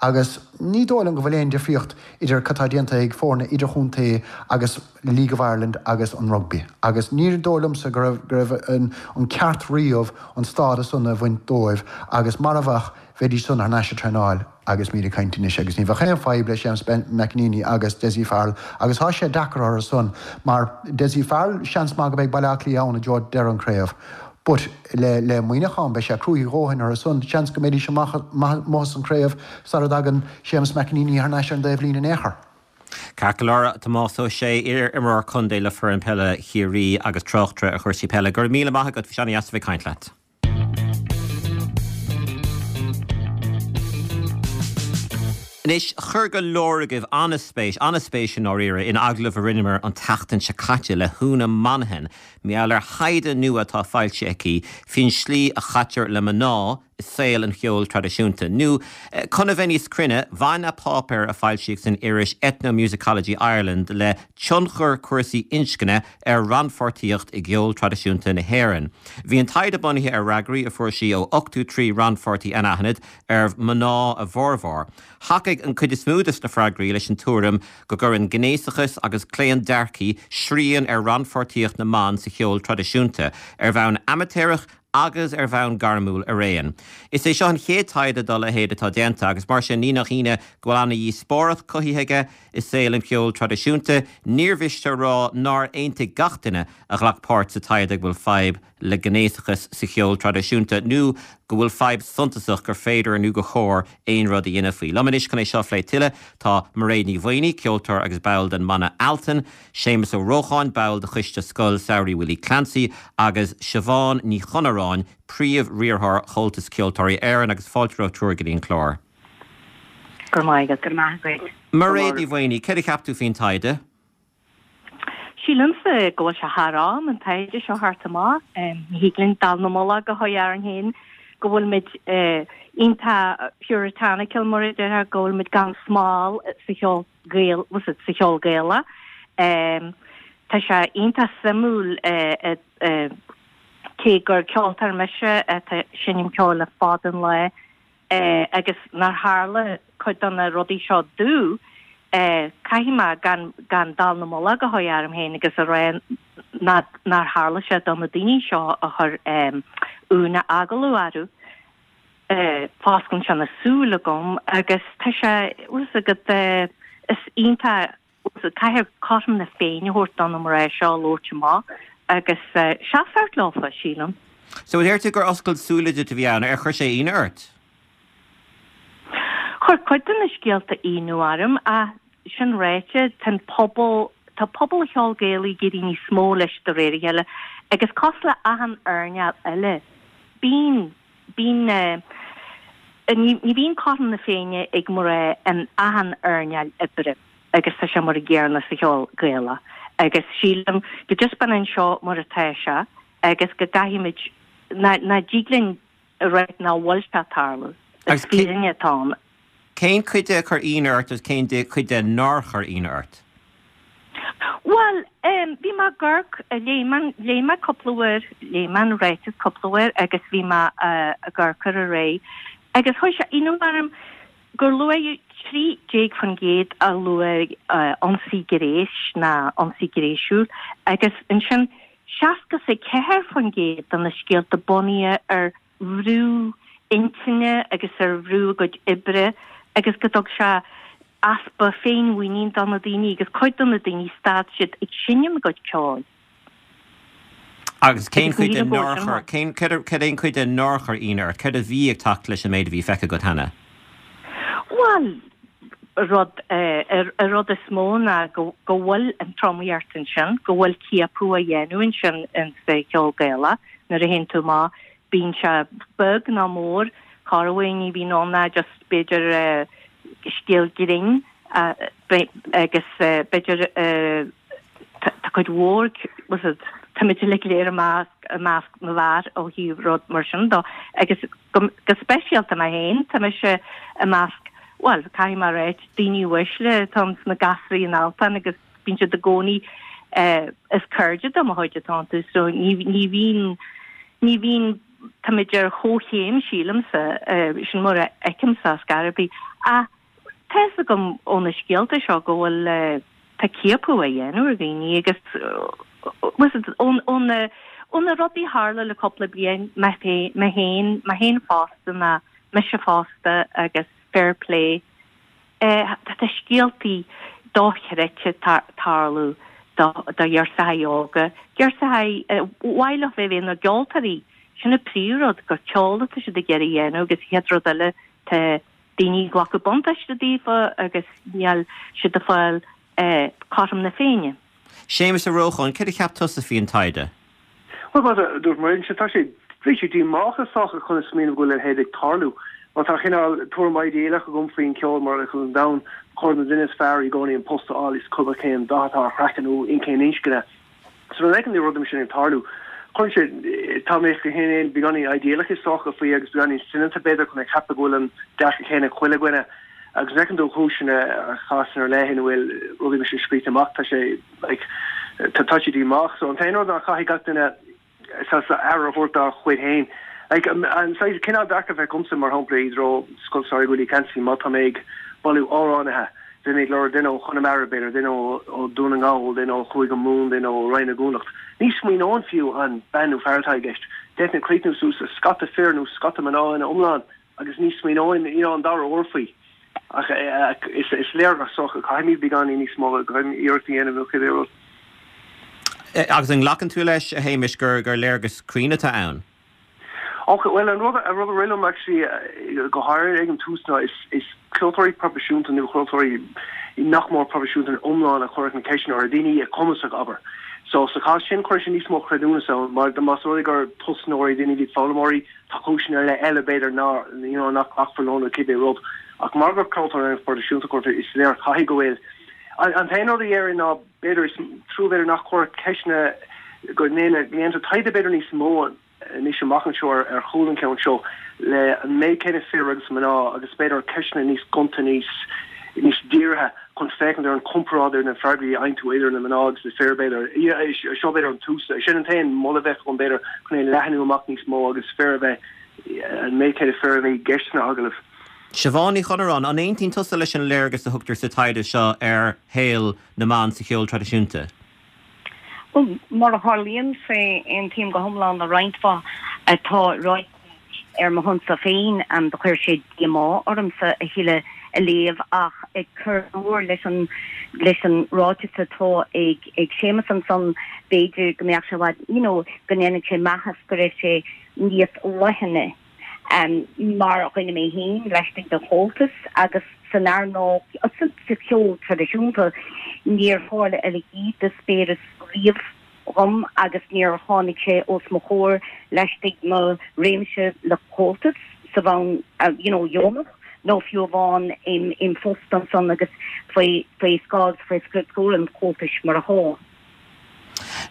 agus ní dóigh liom go bhfuil aon difríocht idir cad tá déanta ag foirne idirchontae agus League of Ireland agus an rugbaí agus ní dóigh liomsa go raibh go raibh an an ceart riamh an stádas san a bhaint dóibh agus mara bheadh bheidís san thar n-ais ag traenáil agus muid ag caint anois agus ní bheadh aon fadhb le Séamus McEneaney agus Dessie Farrell agus tá sé deacair orthu san mar Dessie Farrell seans maith go mbeidh Baile Átha Cliath ann i dtreo deireadh an craobh but le le Muineachán beidh sé cruaidh a dhóthain orthu san seans go mbeidís amach amuigh as an craobh sara dtagann Séamus McEneaney thar n-ais ar an dtaobh líne in aon chor. Ceart go leor, Tomás Ó Sé, iar-imreoir contae le foireann peile Chiarraí agus tráchtaire ar chúrsaí peile. Go raibh míle maith agat, bhí sé an-deas a bheith ag caint leat. Anois, chuir go leor agaibh an-spéis, an-spéis i ndáiríre, in agallamh a rinneamar an tseachtain seo caite le hÚna Monaghan, mar gheall ar thaighde nua atá foilsithe aici faoin slí a chaitear le mná i saol an cheoil traidisiúnta. Nó, chun a bheith níos cruinne, bhain a páipéar a foilsíodh san iris Ethnomusicology Ireland le tionchar cúrsaí inscne ar rannpháirtíocht i gceol traidisiúnta na hÉireann. Bhí an taighde bunaithe ar fhreagraí a fuair sí ó 83 rannpháirtí anaithnid, arbh mná a bhformhór. Thacaigh an chuid is mó de na freagraí leis an tuairim go gcuireann gnéasachas agus claondearcthaí srian ar rannpháirtíocht na mban sa cheol traidisiúnta, ar bhonn amaitéarach. agus ar bhonn gairmiúil araon. Is é seo an chéad taighde dá leithéid atá déanta agus mar sin ní nach ionadh go bhfuil ana-dhíospóireacht cothaithe aige i saol an cheoil traidisiúnta. Níor mhiste a rá nár aontaigh gach duine a ghlac páirt sa taighde go bhfuil fadhb le gnéasachas sa cheol traidisiúnta nó go bhfuil fadhb suntasach gur féidir nó gur chóir aon rud a dhéanamh faoi. Liom anois chun é seo a phlé tuilleadh tá Mairéad Ní Mhaonaigh, ceoltóir agus ball den mbanna Altan, Séamus Ó Rócháin, ball de choiste Scoil Samhraidh Willie Clancy agus Siobhán Ní Chonaráin, Príomh-Riarthóir Chomhaltas Ceoltóirí Éireann agus fáilte romhaibh triúr go dtí an clár. Go raibh maith agat. Go raibh maith agat. Mairéad Ní Mhaonaigh, céard a cheap tú faoin taighde? Sílimse go bhfuil sé thar am an taighde seo a thabhairt amach. Ní thig linn dallamullóg a chur orainn féin go bhfuilimid iontach puritanical, mar a déarfá, go bhfuilimid gan smál sa cheol Gael, sa cheol Gaelach. Tá sé iontach suimiúil cé gur ceoltóir mise atá ag seinm ceoil le fada an lá, agus nár tharla cuid de na rudaí seo domh, caithfidh mé gan gan dallamullóg a chur orm féin agus a rá nár tharla sé do na daoine seo a chuir Úna agallamh orthu. Fosclaíonn sé na súile agam agus tá sé, bhfuil fhios agat, is iontach Caithfear cothrom na Féinne a thabhairt do na mná seo a labhairt amach agus seasamh leofa, sílim. So deir tú gur oscailt súile duit a bhí ann, ar chuir sé ionadh ort? Chuir cuid de na scéalta ionadh orm ach sin ráite, tá an pobal, tá pobal an cheoil Ghaelaigh ag éirí níos mó leis de réir a chéile agus cosúil le achan earnáil eile, bíonn, bíonn, ní bhíonn cothrom na Féinne ag mná in achan earnáil oibre agus tá sé mar an gcéanna sa cheol Gaelach agus sílim go dtaispeánann seo mar atá sé agus go gcaithfimid, ná dtig linn a rá nach bhfuil sé ag tarlú. Is fírinne atá ann. Cén chuid de a chuir ionadh ort agus cén chuid de nár chuir ionadh ort? Bhuel, bhí mé ag amharc, léigh mé, léigh mé cúpla uair, léigh mé an ráiteas cúpla uair agus bhí mé ag amharc air ar aghaidh agus chuir sé ionadh orm gur luaigh 13% a luaigh ionsaí gnéis ná ionsaí gnéasúil agus ansin 64% de na scéalta bunaithe ar bhrú intinne agus ar bhrú a gcuid oibre agus go dtug sé easpa féinmhuinín do na daoine agus cuid de na daoine stad siad ag seinm a gcuid ceoil. Agus cén chuid de nár chuir, cén, céard é an chuid de nár chuir ionadh ort? Céard a bhí ag teacht leis an méid a bhí feicthe agat cheana? Bhuel, rud, an rud is mó ná go bhfuil an tromaíocht ansin, go bhfuil ciapadh á dhéanamh ansin sa cheol Gaelach nuair a théann tú amach Bíonn sé beag nó mór, corruair ní bhíonn ann ach just b'fhéidir scéal grinn agus b'fhéidir tá cuid mhór, táimid uilig go léir i measc i measc na bhfear ó thaobh rud mar sin dó agus go speisialta mé féin, tá mise i measc, bhuel, caithfidh mé a ráit, daoine uaisle atá sna gasraí in Altan agus bíonn siad i gcónaí is cairde de mo chuid atá iontu so ní ní bhíonn ní bhíonn táimid ar chomhchéim sílimse sin mar a fheicimse ar scor ar bith ach tá fhios agam ó na scéalta seo go bhfuil tá ciapadh á dhéanamh ar dhaoine agus ó na ó na rudaí a tharla le cúpla bliain mé mé féin mé féin fosta ná mise fosta agus fair play Tá scéaltaí dochreidte ag tarlú do ghirseachaí óga, girseachaí ar mhaith leo bheith ina gceoltóirí. Sin an príomhrud, gur ceol atá siad ag iarraidh a dhéanamh agus an chéad rud eile tá daoine ag glacadh buntáiste daofa agus níl siad ag fáil cothrom na Féinne. Séamus Ó Rócháin, céard a cheap tusa faoin taighde? Bhuel, mar a dúirt Mairéad, tá sé, bhí sé díomách is dócha chun a smaoineamh go bhfuil a leithéid ag tarlú. Má tá cineál tuairim idéalach agam faoin cheol mar an domhan, ba chóir don duine is fearr i gcónaí an post a fháil is cuma cén dath atá ar chraiceann nó in cén inscne. So nuair a fheiceann tú rudaí mar sin ag tarlú, cuireann sé, tá mé féin beagáinín idéalach is dócha faoi agus beagáinín soineanta b'fhéidir chun a cheapadh go bhfuil an dearcadh céanna ag chuile dhuine. Agus nuair a fheiceann tú cúiseanna ar chásanna ar leith ina bhfuil rudaí mar sin scríte amach, tá sé, like, tá sé díomách. So an t-aon rud ná caithfidh gach duine saghas aire a thabhairt dá chuid féin. Like, an saghas cineál dearcadh a bheith agamsa, mar shampla, i dtreo Scoil Samhraidh Willie Clancy, má tá mé ag bailiú amhránaithe. Bheinn ag lorg duine ó Chonamara, b'fhéidir, duine ó Dhún na nGall, duine ó Chúige Mumhan, duine ó Roinn na gConnacht. Ní smaoineoinn fiú an bean nó fear atá i gceist. D'fhéadfainn críochnú suas le scata fir nó scata mná ina iomlán agus ní smaoineoinn you know an dara huair faoi. Ach is léir go socha caithfimid beagáinín níos mó iarracht a dhéanamh nó cibé rud. Agus an nglacann tú leis, a Shéamais, gur léargas cruinn atá ann? Ok, bhuel an rud a rud a rith liom actually go háirithe ag an tús ná is is ceoltóirí proifisiúnta nó ceoltóirí nach mór proifisiúnta in iomlán a cuireadh na ceisteanna orthu, daoine cumasach abair. So sa chás sin chuir sé níos mó creidiúnas ann mar más rud é gur tosnóirí, daoine a bhí foghlaimeoirí, tá cúiseanna ar leith eile b'fhéidir ná you know nach nglacfar leo nó cibé rud. Ach mar gur ceoltóirí proifisiúnta a cuireadh is léir caithfidh go bhfuil an an t-aon rud a dhéarfainn ná b'fhéidir is trua b'fhéidir nach cuireadh ceisteanna go ndéantar taighde b'fhéidir níos mó anois amach anseo ar chúl an cheann seo le an méid céanna fir agus mná agus b'fhéidir ceisteanna níos gonta níos níos dírithe chun féachaint ar an chomparáid ar na freagraí a fhaigheann tú idir na mná agus na fir b'fhéidir. Seo b'fhéidir an tús. Sin an t-aon moladh a bheadh agam b'fhéidir chun é leathnú amach níos mó agus fir a bheith an méid céanna fir a bheith i gceist sna agallaimh. Siobhán Ní Chonaráin, an aontaíonn tusa leis an léargas a thugtar sa taighde seo ar shaol na mban sa cheol traidisiúnta? Bhuel, mar a tharlaíonn sé, aontaím go hiomlán le roinnt mhaith atá ráite ar mo shonsa féin. Do chuir sé díomá ormsa a thuilleadh a léamh ach ag cur go mór leis an leis an ráiteas atá ag ag Séamus ansan, b'fhéidir go mbeadh sé i bhfad, you know, go ndéanfadh sé maitheas go raibh sé níos leithne. Mar dhuine mé féin, laistigh de Chomhaltas agus san earnáil, sa cheol traidisiúnta, níor tharla a leithéid d'eispéireas riamh dhom agus níor tháinig sé os mo chomhair laistigh mo réimse le Comhaltas sa bhonn you know dheonach nó fiú amháin im phost ansan agus faoi faoi scáth faoi scrúdú an Chomhaltais mar atá.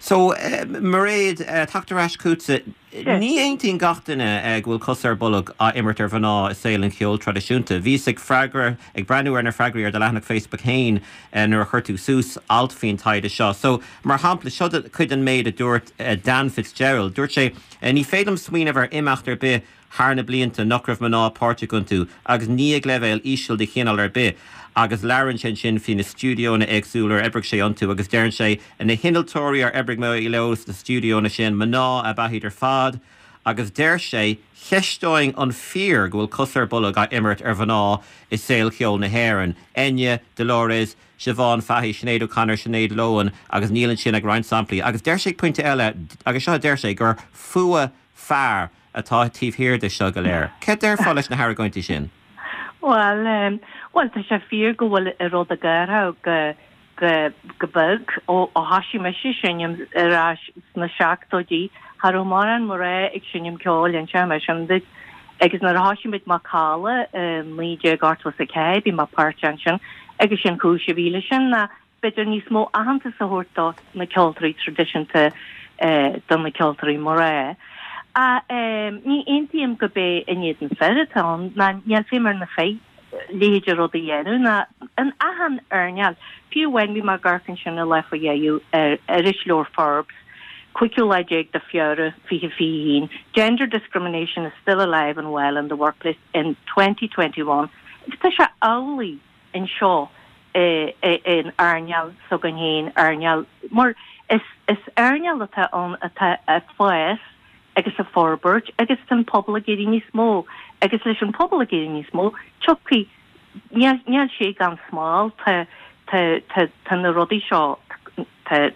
So, Mairéad, teacht ar ais chugatsa, ní aontaíonn gach duine go bhfuil cos ar bolg á imirt ar mhná i saol an cheoil traidisiúnta. Bhíos ag freagra, ag breathnú ar na freagraí ar do leathanach Facebook féin nuair a chuir tú suas alt faoin taighde seo. So, mar shampla, seo cuid den méid a dúirt Dan Fitzgerald. Dúirt sé, Ní féidir liom smaoineamh ar imeacht ar bith thar na blianta nach raibh mná páirteach iontu agus ní ag leibhéal íseal de chineál ar bith agus labhrann sé ansin faoi na stiúideonna éagsúla ar oibrigh sé iontu agus deireann sé na hinnealtóirí ar oibrigh mé leo sna stiúideonna sin, mná ab ea iad ar fad agus deir sé cheisteoinn an fíor go bhfuil cos ar bolg á imirt ar mhná i saol cheol na hÉireann, Enya, Dolores, Siobhán Fahey, Sinéad O'Connor, Sinéad Lohan agus níl ansin ach roinnt samplaí agus deir sé pointe eile agus seo a deir sé gur fuath fear atá taobh thiar de seo go léir. Céard déarfá leis na hargóintí sin? Bhuel, bhuel, tá sé fíor go bhfuil an rud ag athrú go, go, go beag. Ó, ó thoisigh mise ag seinm ar ais sna seachtóidí, cha raibh mórán mná ag seinm ceoil, inseoidh mé sin duit. Agus nuair a thoisigh muid Macalla i 1984, bhí mé páirteach ansin, agus sin cúis a bhí leis sin ná b'fhéidir níos mó aitheantas a thabhairt do na ceoltóirí traidisiúnta, do na ceoltóirí mná. Ach ní aontaím gurb é in éadan fir atá ann, ná níl feidhm ar na fir a leithéid de rud a dhéanamh, ná in achan earnáil. Fiú amháin bhí mé ag amharc ansin an lá faoi dheireadh ar irisleabhar Forbes, cúigiú lá déag de Feabhra 2021, Gender discrimination is still alive and well in the workplace in 2021. Agus tá sé amhlaidh. anseo in earnáil s'againn féin, earnáil, mar is earnáil atá ann atá ag fás agus ag forbairt agus tá an pobal ag éirí níos mó agus leis an pobal ag éirí níos mó, tiocfaidh, níl, níl sé gan smál, tá, tá, tá, tá na rudaí seo, tá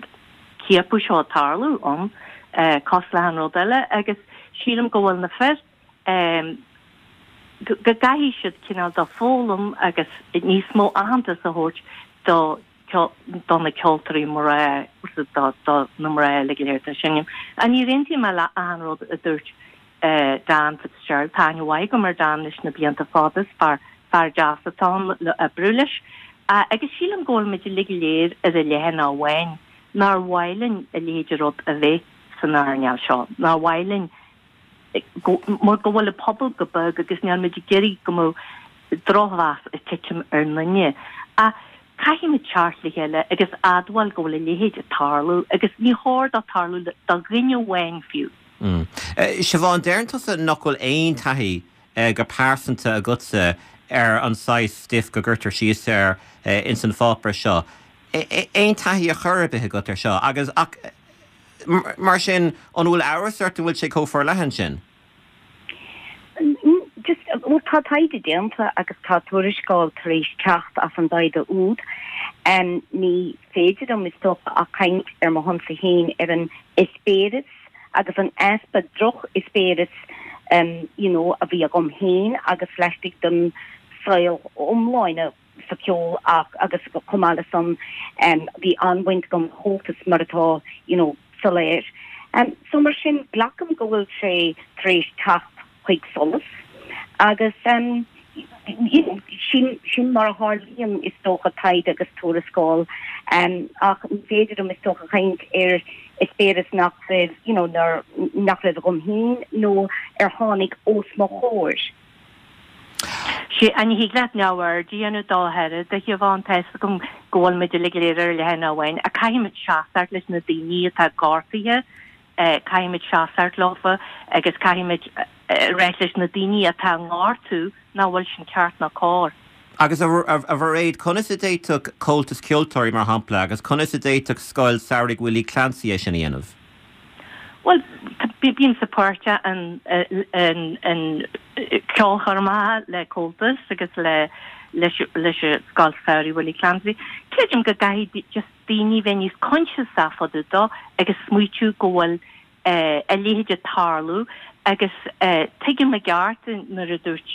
ciapadh seo ag tarlú ann, cosúil le achan rud eile agus sílim go bhfuil na fir, go gcaithfidh siad cineál de foghlaim agus níos mó aitheantas a thabhairt do do na ceoltóirí mná, do do na mná uilig go léir atá ag seinm. Ach níor aontaigh mé le achan rud a dúirt Dan Fitzgerald. Tá aithne mhaith agam ar Dan leis na blianta fada, is fear fear deas atá ann le oibriú leis. Agus sílim go bhfuil muid uilig go léir ar an leathanach amháin, nár mhaith linn a leithéid de rud a bheith san earnáil seo, nár mhaith linn mar go bhfuil an pobal go beag agus níl muid ag iarraidh go mbeadh drochmheas ag titim ar ndaoine. Ach caithfidh muid teacht le chéile agus admháil go bhfuil a leithéid ag tarlú agus ní chóir dó tarlú do dhuine amháin fiú. Siobhán, deireann tusa nach bhfuil aon taithí go pearsanta agatsa ar an saghas stuif go gcuirtear síos air. ins an pháipéar seo. Aon taithí ar chor ar bith agat ar seo? Agus, ach, mar sin, an bhfuil amhras ort an bhfuil sé chomh forleathan sin? Just, bhuel, tá taighde déanta agus tá tuarascáil tar éis teacht as an dtaighde úd. Ní féidir liom, is dócha, ach caint ar mo shonsa féin ar an eispéireas agus an easpa droch-eispéireas you know, a bhí agam féin agus laistigh den saol iomláine sa cheol ach agus chomh maith le san bhí an-bhaint agam le Comhaltas mar atá you know soiléir. So mar sin glacaim go bhfuil sé tar éis teacht chuig solas agus you know sin sin mar a tharlaíonn is dócha taighde agus tuarascáil ach ní féidir liom is dócha caint ar eispéireas nach raibh you know nach raibh agam féin nó ar tháinig os mo chomhair. Sea, ní thig leat neamhaird a dhéanamh dó ach oiread, a Shiobhán. Tá fhios agam go bhfuil muid uilig go léir ar leathanach amháin, ach caithfimid seasamh leis na daoine atá gortaithe, caithfimid seasamh leofa agus caithfimid ráit leis na daoine atá á ngortú nach bhfuil sin ceart ná cóir. Agus a Mhairéad, conas a d'fhéadfadh Comhaltas Ceoltóirí, mar shampla, agus conas a d'fhéadfadh Scoil Samhraidh Willie Clancy é sin a dhéanamh? Bhuel, bímse páirteach in ceolchoirmeacha le Comhaltas agus le leis an Scoil Samhraidh Willie Clancy. Creidim go gcaithfidh just daoine bheith níos coinsiasach fá dtaobh dó agus smaoitiú go bhfuil a leithéid ag tarlú agus tuigim i gceart nuair a dúirt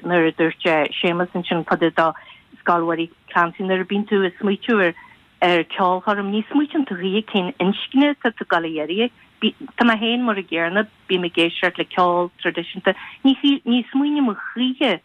nuair a dúirt Séamus ansin fá dtaobh do Scoil Willie Clancy nuair a bíonn tú ag smaoitiú ar ar ceolchoirm, ní smaoitíonn tú choíche cén inscne atá tú ag dul a iarraidh. Tá mé féin mar an gcéanna, bím ag éisteacht le ceol traidisiúnta, ní ní smaoiním choíche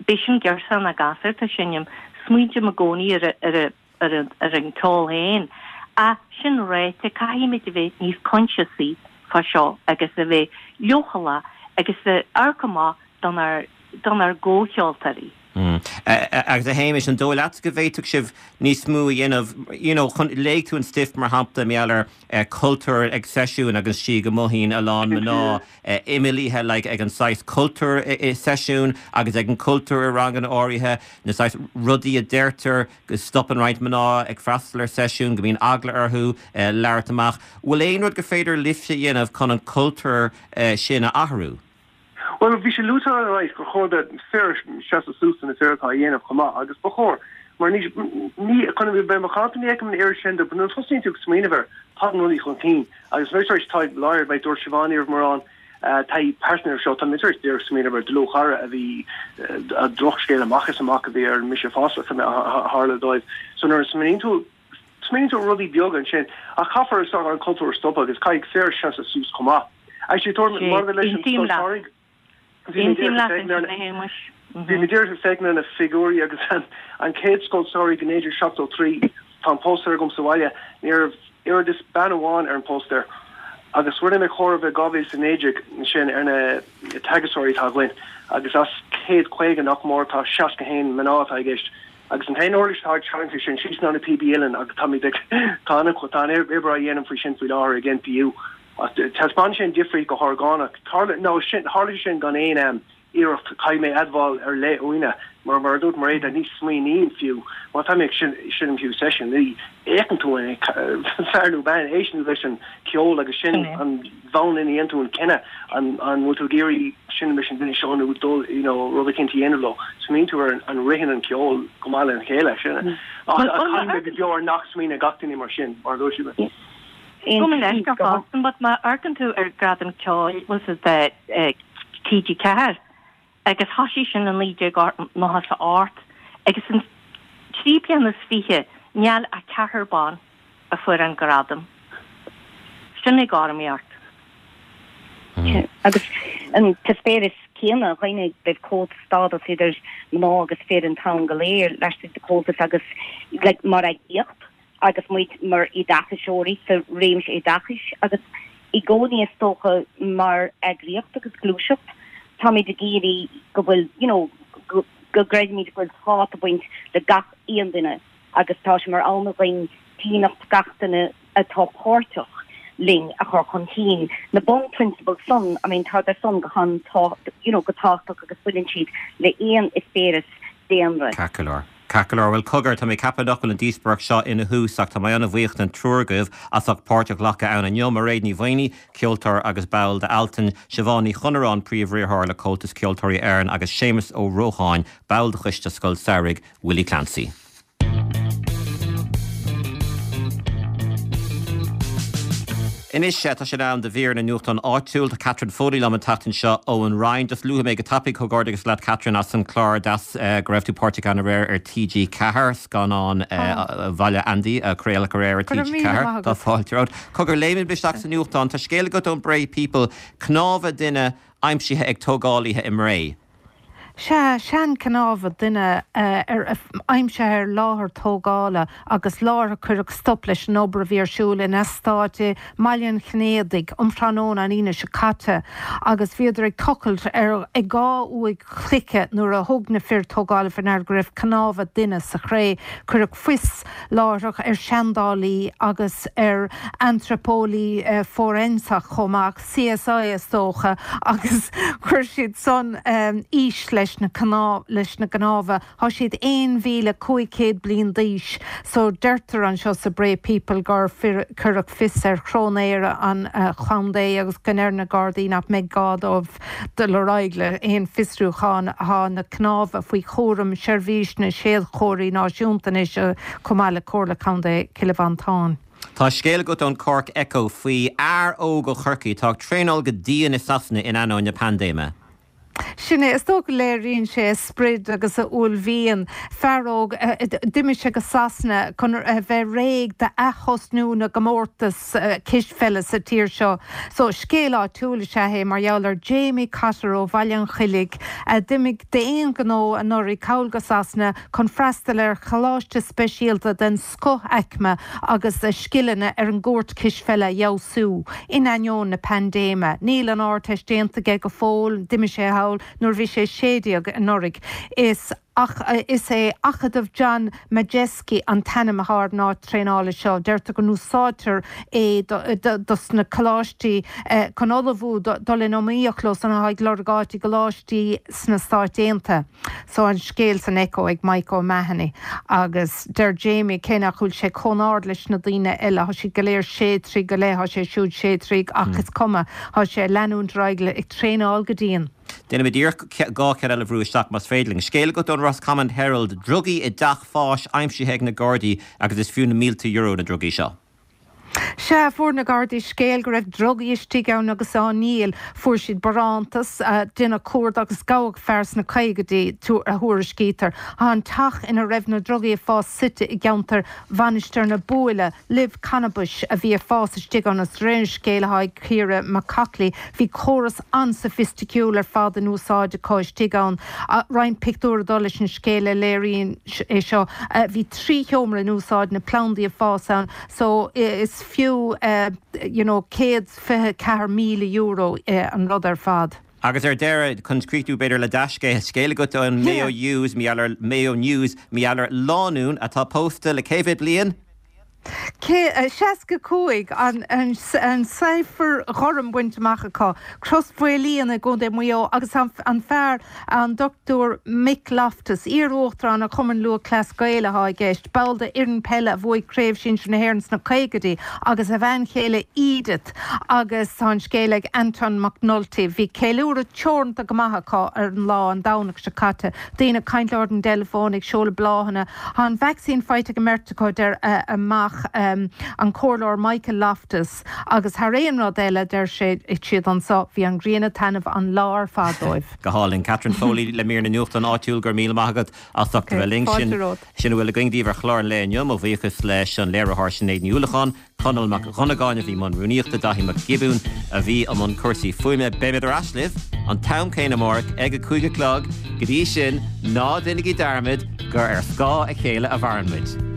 bíodh sin girseach nó gasúr atá ag seinm, smaoiním i gcónaí ar ar ar ar an ceol féin. Ach sin ráite, caithfimid a bheith níos coinsiasaí fá seo agus a bheith leochaileach agus a amharc amach donár donár gcomhcheoltóirí. Agus a Shéamais, an dóigh leatsa go bhféadfadh sibh níos mó a dhéanamh, you know, chun, léigh tú an stuif mar shampla, mar gheall ar cultúr ag seisiúin agus sí go mothaíonn a lán mná imeallaithe like ag an saghas cultúr i seisiún agus ag an cultúr i ranganna áirithe, na saghas rudaí a deirtear, go stopann roinnt mná ag freastal ar seisiún, go mbíonn eagla orthu labhairt amach. Bhfuil aon rud gur féidir libhse a dhéanamh chun an cultúr sin a athrú? Bhuel, bhí sé luaite ar ais gur chóir do fir seasamh suas do na fir atá á dhéanamh chomh maith, agus ba chóir, mar ní, ní, chun a bheith macánta, ní fheicim an oiread sin de, nuair a tosaíonn tú ag smaoineamh air, tagann rudaí chun cinn, agus mé tar éis taithí láidir, mar a dúirt Siobhán, ní raibh mórán taithí pearsanta air seo, tá mé tar éis díreach smaoineamh ar dlúthchara a bhí, drochscéal amach is amach a bhí ar Mise Fosta, a tharla dóibh. So nuair a smaoiníonn tú, Smaoiníonn tú ar rudaí beaga ansin, ach caithfear is dócha an cultúr a stopadh agus caithfidh fir seasamh suas chomh maith. Actually, tuairim maidir leis an Aontaím leat. Bhí mé Aontaím leat ansin, a Shéamais. Bhí mé díreach ag féachaint ar na figiúirí agus an chéad scoil samhraidh i 1973, tá an póstaer agam sa bhaile, ní raibh oiread is bean amháin ar an póstaer. Agus rinne mé comhaireamh i 2019 ansin ar na teagascóirí atá againn agus as 150 nach mór tá 61 mná atá i gceist. Agus an t-aon uirlis atá ag tarraingt sin síos ná na píobaí uilleann agus táimid ag, tá an, tá an obair á dhéanamh faoi sin faoi láthair ag NPU. Ach taispeánann sé an difríocht go horgánach. Tharla, nó sin, tharla sé sin gan aon iarracht, caithfidh mé admháil ar leith uaine, mar, mar a dúirt Mairéad, ní smaoiním fiú, má tá mé ag seinm fiú seisiún, ní fhéachann tú an é fear nó bean, éisteann tú leis an cheol agus sin an bhonn ina dhéanann tú an cinneadh an an bhfuil tú ag iarraidh seinm leis an duine seo nó dul you know rud eicínt a dhéanamh leo. Smaoiníonn tú ar an ritheann an ceol go maith lena chéile sin. Ach caithfidh mé go deo ar nach smaoineann gach duine mar sin mar a dúirt siad. Gabh mo leithscéal fosta but má amharcann tú ar Gradam Ceoil bhfuil fhios agat TG4 agus thoisigh sin i 1998 agus in 3 bliana is 20 níl ach ceathrar ban a fuair an gradam. Sin éagothromaíocht. Agus an t-eispéireas céanna, dhaoine roimh comhstádas idir mná agus fir an t-am go léir laistigh de Comhaltas agus like mar eagraíocht agus muid mar oideachaiseoirí sa réimse oideachais agus i gcónaí is dócha mar eagraíocht agus gluaiseacht táimid ag iarraidh go bhfuil you know go gcreidimid go bhfuil tábhacht ag baint le gach aon duine agus tá sé mar aidhm againn dínit gach duine atá páirteach linn a chur chun cinn. Na bunphrionsabail san, I mean tá san go han you know go tábhachtach agus baineann siad le aon eispéireas daonra. Ceart go leor. Ceart go leor, bhuel cogar, tá mé ag ceapadh nach bhfuil an díospóireacht seo ina thús ach tá mé an-bhuíoch den triúr agaibh as ucht páirt a ghlacadh ann inniu, Mairéad Ní Mhaonaigh, ceoltóir agus ball d'Altan, Siobhán Ní Chonaráin, Príomh-Riarthóir le Comhaltas Ceoltóirí Éireann agus Séamus Ó Rócháin, ball de Choiste Scoil Samhraidh Willie Clancy. Anois, tá sé in am do mhír na nuachtán áitiúil. Tá Catherine Foley liom an tseachtain seo ón Rinn. Just luafaidh mé go tapaidh comhghairdeachas leat Catherine as an clár deas go raibh tú páirteach ann aréir ar TG4, scannán Bhaile Andy a craoladh aréir ar TG4. Tá fáilte romhat. Cogar, léimfidh isteach sa nuachtán. Tá scéal agat ón Bray People, cnámha duine aimsithe ag tógálaithe i mBré. Sea, seanchnámha duine aimsithe ar láthair tógála agus láithreach cuireadh stop leis an obair a bhí ar siúl in eastát i mBaile an Chinnéidigh um thráthnóna an Aoine seo caite agus bhíodar ag tochailt ar ag 2 uaigh chloiche nuair a thug na fir tógála faoi ndeara go raibh cnámha duine sa chré. Cuireadh fios láithreach ar sheandálaí agus ar antraipeolaí fóiréinseach chomh maith. CSI is dócha, agus chuir siad san aois leis na leis na gcnámha. Tá siad 1,500 bliain d'aois so deirtear anseo sa Bray People gur cuireadh fios ar chróinéara an chontae agus go ndeir na Gardaí nach mbeidh gá dóibh dul ar aghaidh le haon fiosrúchán. Tá na cnámha faoi chúram Sheirbhís na Séadchomharthaí Náisiúnta anois chomh maith le Comhairle Contae Chill Mhantáin. Tá scéal agat ón Cork Echo faoi fhear óg ó Chorcaigh atá ag traenáil go dian i Sasana in ainneoin na paindéime. Sin é, is dócha go léiríonn sé a sprid agus a uaillmhian. Fear óg, d'imigh sé go Sasana chun a bheith réidh d'ath-thosnú na gcomórtas cispheile sa tír seo. So, scéal áitiúil is ea é mar gheall ar Jamie Cotter ó Bhaile an Choilligh a d'imigh d'aon ghnó anuraidh thall go Sasana chun freastal ar choláiste speisialta den scothaicme agus a scileanna ar an gcúirt cispheile a fheabhsú, in ainneoin na paindéime. Níl an Ardteist déanta aige go fóill, d'imigh sé thall nuair a bhí sé 16 anuraidh. Is is é Acadamh John Madejski an t-ainm atá ar an áit traenála seo. Deirtear go n-úsáidtear é dos na coláistí chun ullmhú dul in iomaíocht leo san atá ag lorg áit i gcoláistí sna Stáit Aontaithe. So an scéal san Echo ag Mike O'Mahony agus deir Jamie cé nach bhfuil sé chomh ard leis na daoine eile, tá siad go léir sé troigh go leith, tá sé siúd sé troigh ach is cuma, tá sé ag leanúint ar aghaidh le ag traenáil go dian. Déanfaimid iarracht 2 cheann eile a bhrú isteach más féidir linn. Scéal agat ón Roscommon Herald, drugaí i dteach fáis aimsithe ag na Gardaí agus is fiú na mílte euro na drugaí seo. Sea, fuair na Gardaí scéal go raibh drugaí istigh ann agus á ndíol. Fuair siad barántas, deineadh cuardach agus gabhadh fear sna caogaidí, a thuairiscítear. Tá an teach ina raibh na drugaí ag fás suite i gceantar Mhainistir na Buaile. Luibh cannabais a bhí ag fás istigh ann agus de réir an scéil atá ag Ciara McCoughley, bhí córas an-soifisticiúil ar fad in úsáid acu istigh ann. Roinnt pictiúr ag dul leis an scéal a léiríonn é seo. Bhí 3 sheomra in úsáid, na plandaí ag fás ann. So is fiú you know €124,000 an rud ar fad. Agus ar deireadh, chun críochnú b'fhéidir le dea-scéal, scéal agat ón Mayo News, mar gheall ar Mayo News, mar gheall ar lánúin atá pósta le cé mhéad bliain? 65, an tsaifir ghorm bainte amach acu. Crois Mhaoilíona i gContae Mhaigh Eo agus an fear, An Dr Mick Loftus, iar-uachtarán an Chumainn Lúthchleas Gael atá i gceist, ball de fhoireann peile a bhuaigh Craobh Sinsir na hÉireann sna caogaidí, agus a bhean chéile Edith agus tá an scéal ag Anton McNulty. Bhí ceiliúradh teoranta go maith acu ar an lá an Domhnach seo caite, daoine ag caint leo ar an dteileafón, ag seoladh bláthanna. Tá an vacsaín faighte ag an mbeirt acu, deir a mac, an Comhairleoir Michael Loftus. Agus thar aon rud eile, deir sé, siad anso, bhí an ghrian ag taitneamh an lá ar fad dóibh. Go hálainn. Catherine Foley le mír na nuachtán áitiúil, go raibh míle maith agat as ucht a bheith linn. Fáilte romhat. Sin a bhfuil againn daoibh ar chlár an lae inniu. Mo bhuíochas leis an léiritheoir Sinéad Ní Uallacháin, Conall Mac Dhonnagáin a bhí i mbun rúnaíochta, Daithí Mac Giobúin a bhí i mbun cúrsaí fuaime. Beimid ar ais libh an t-am céanna amárach ag a 5 a chlog. Go dtí sin, ná déanaigí dearmad gur ar scáth a chéile a mhaireann muid.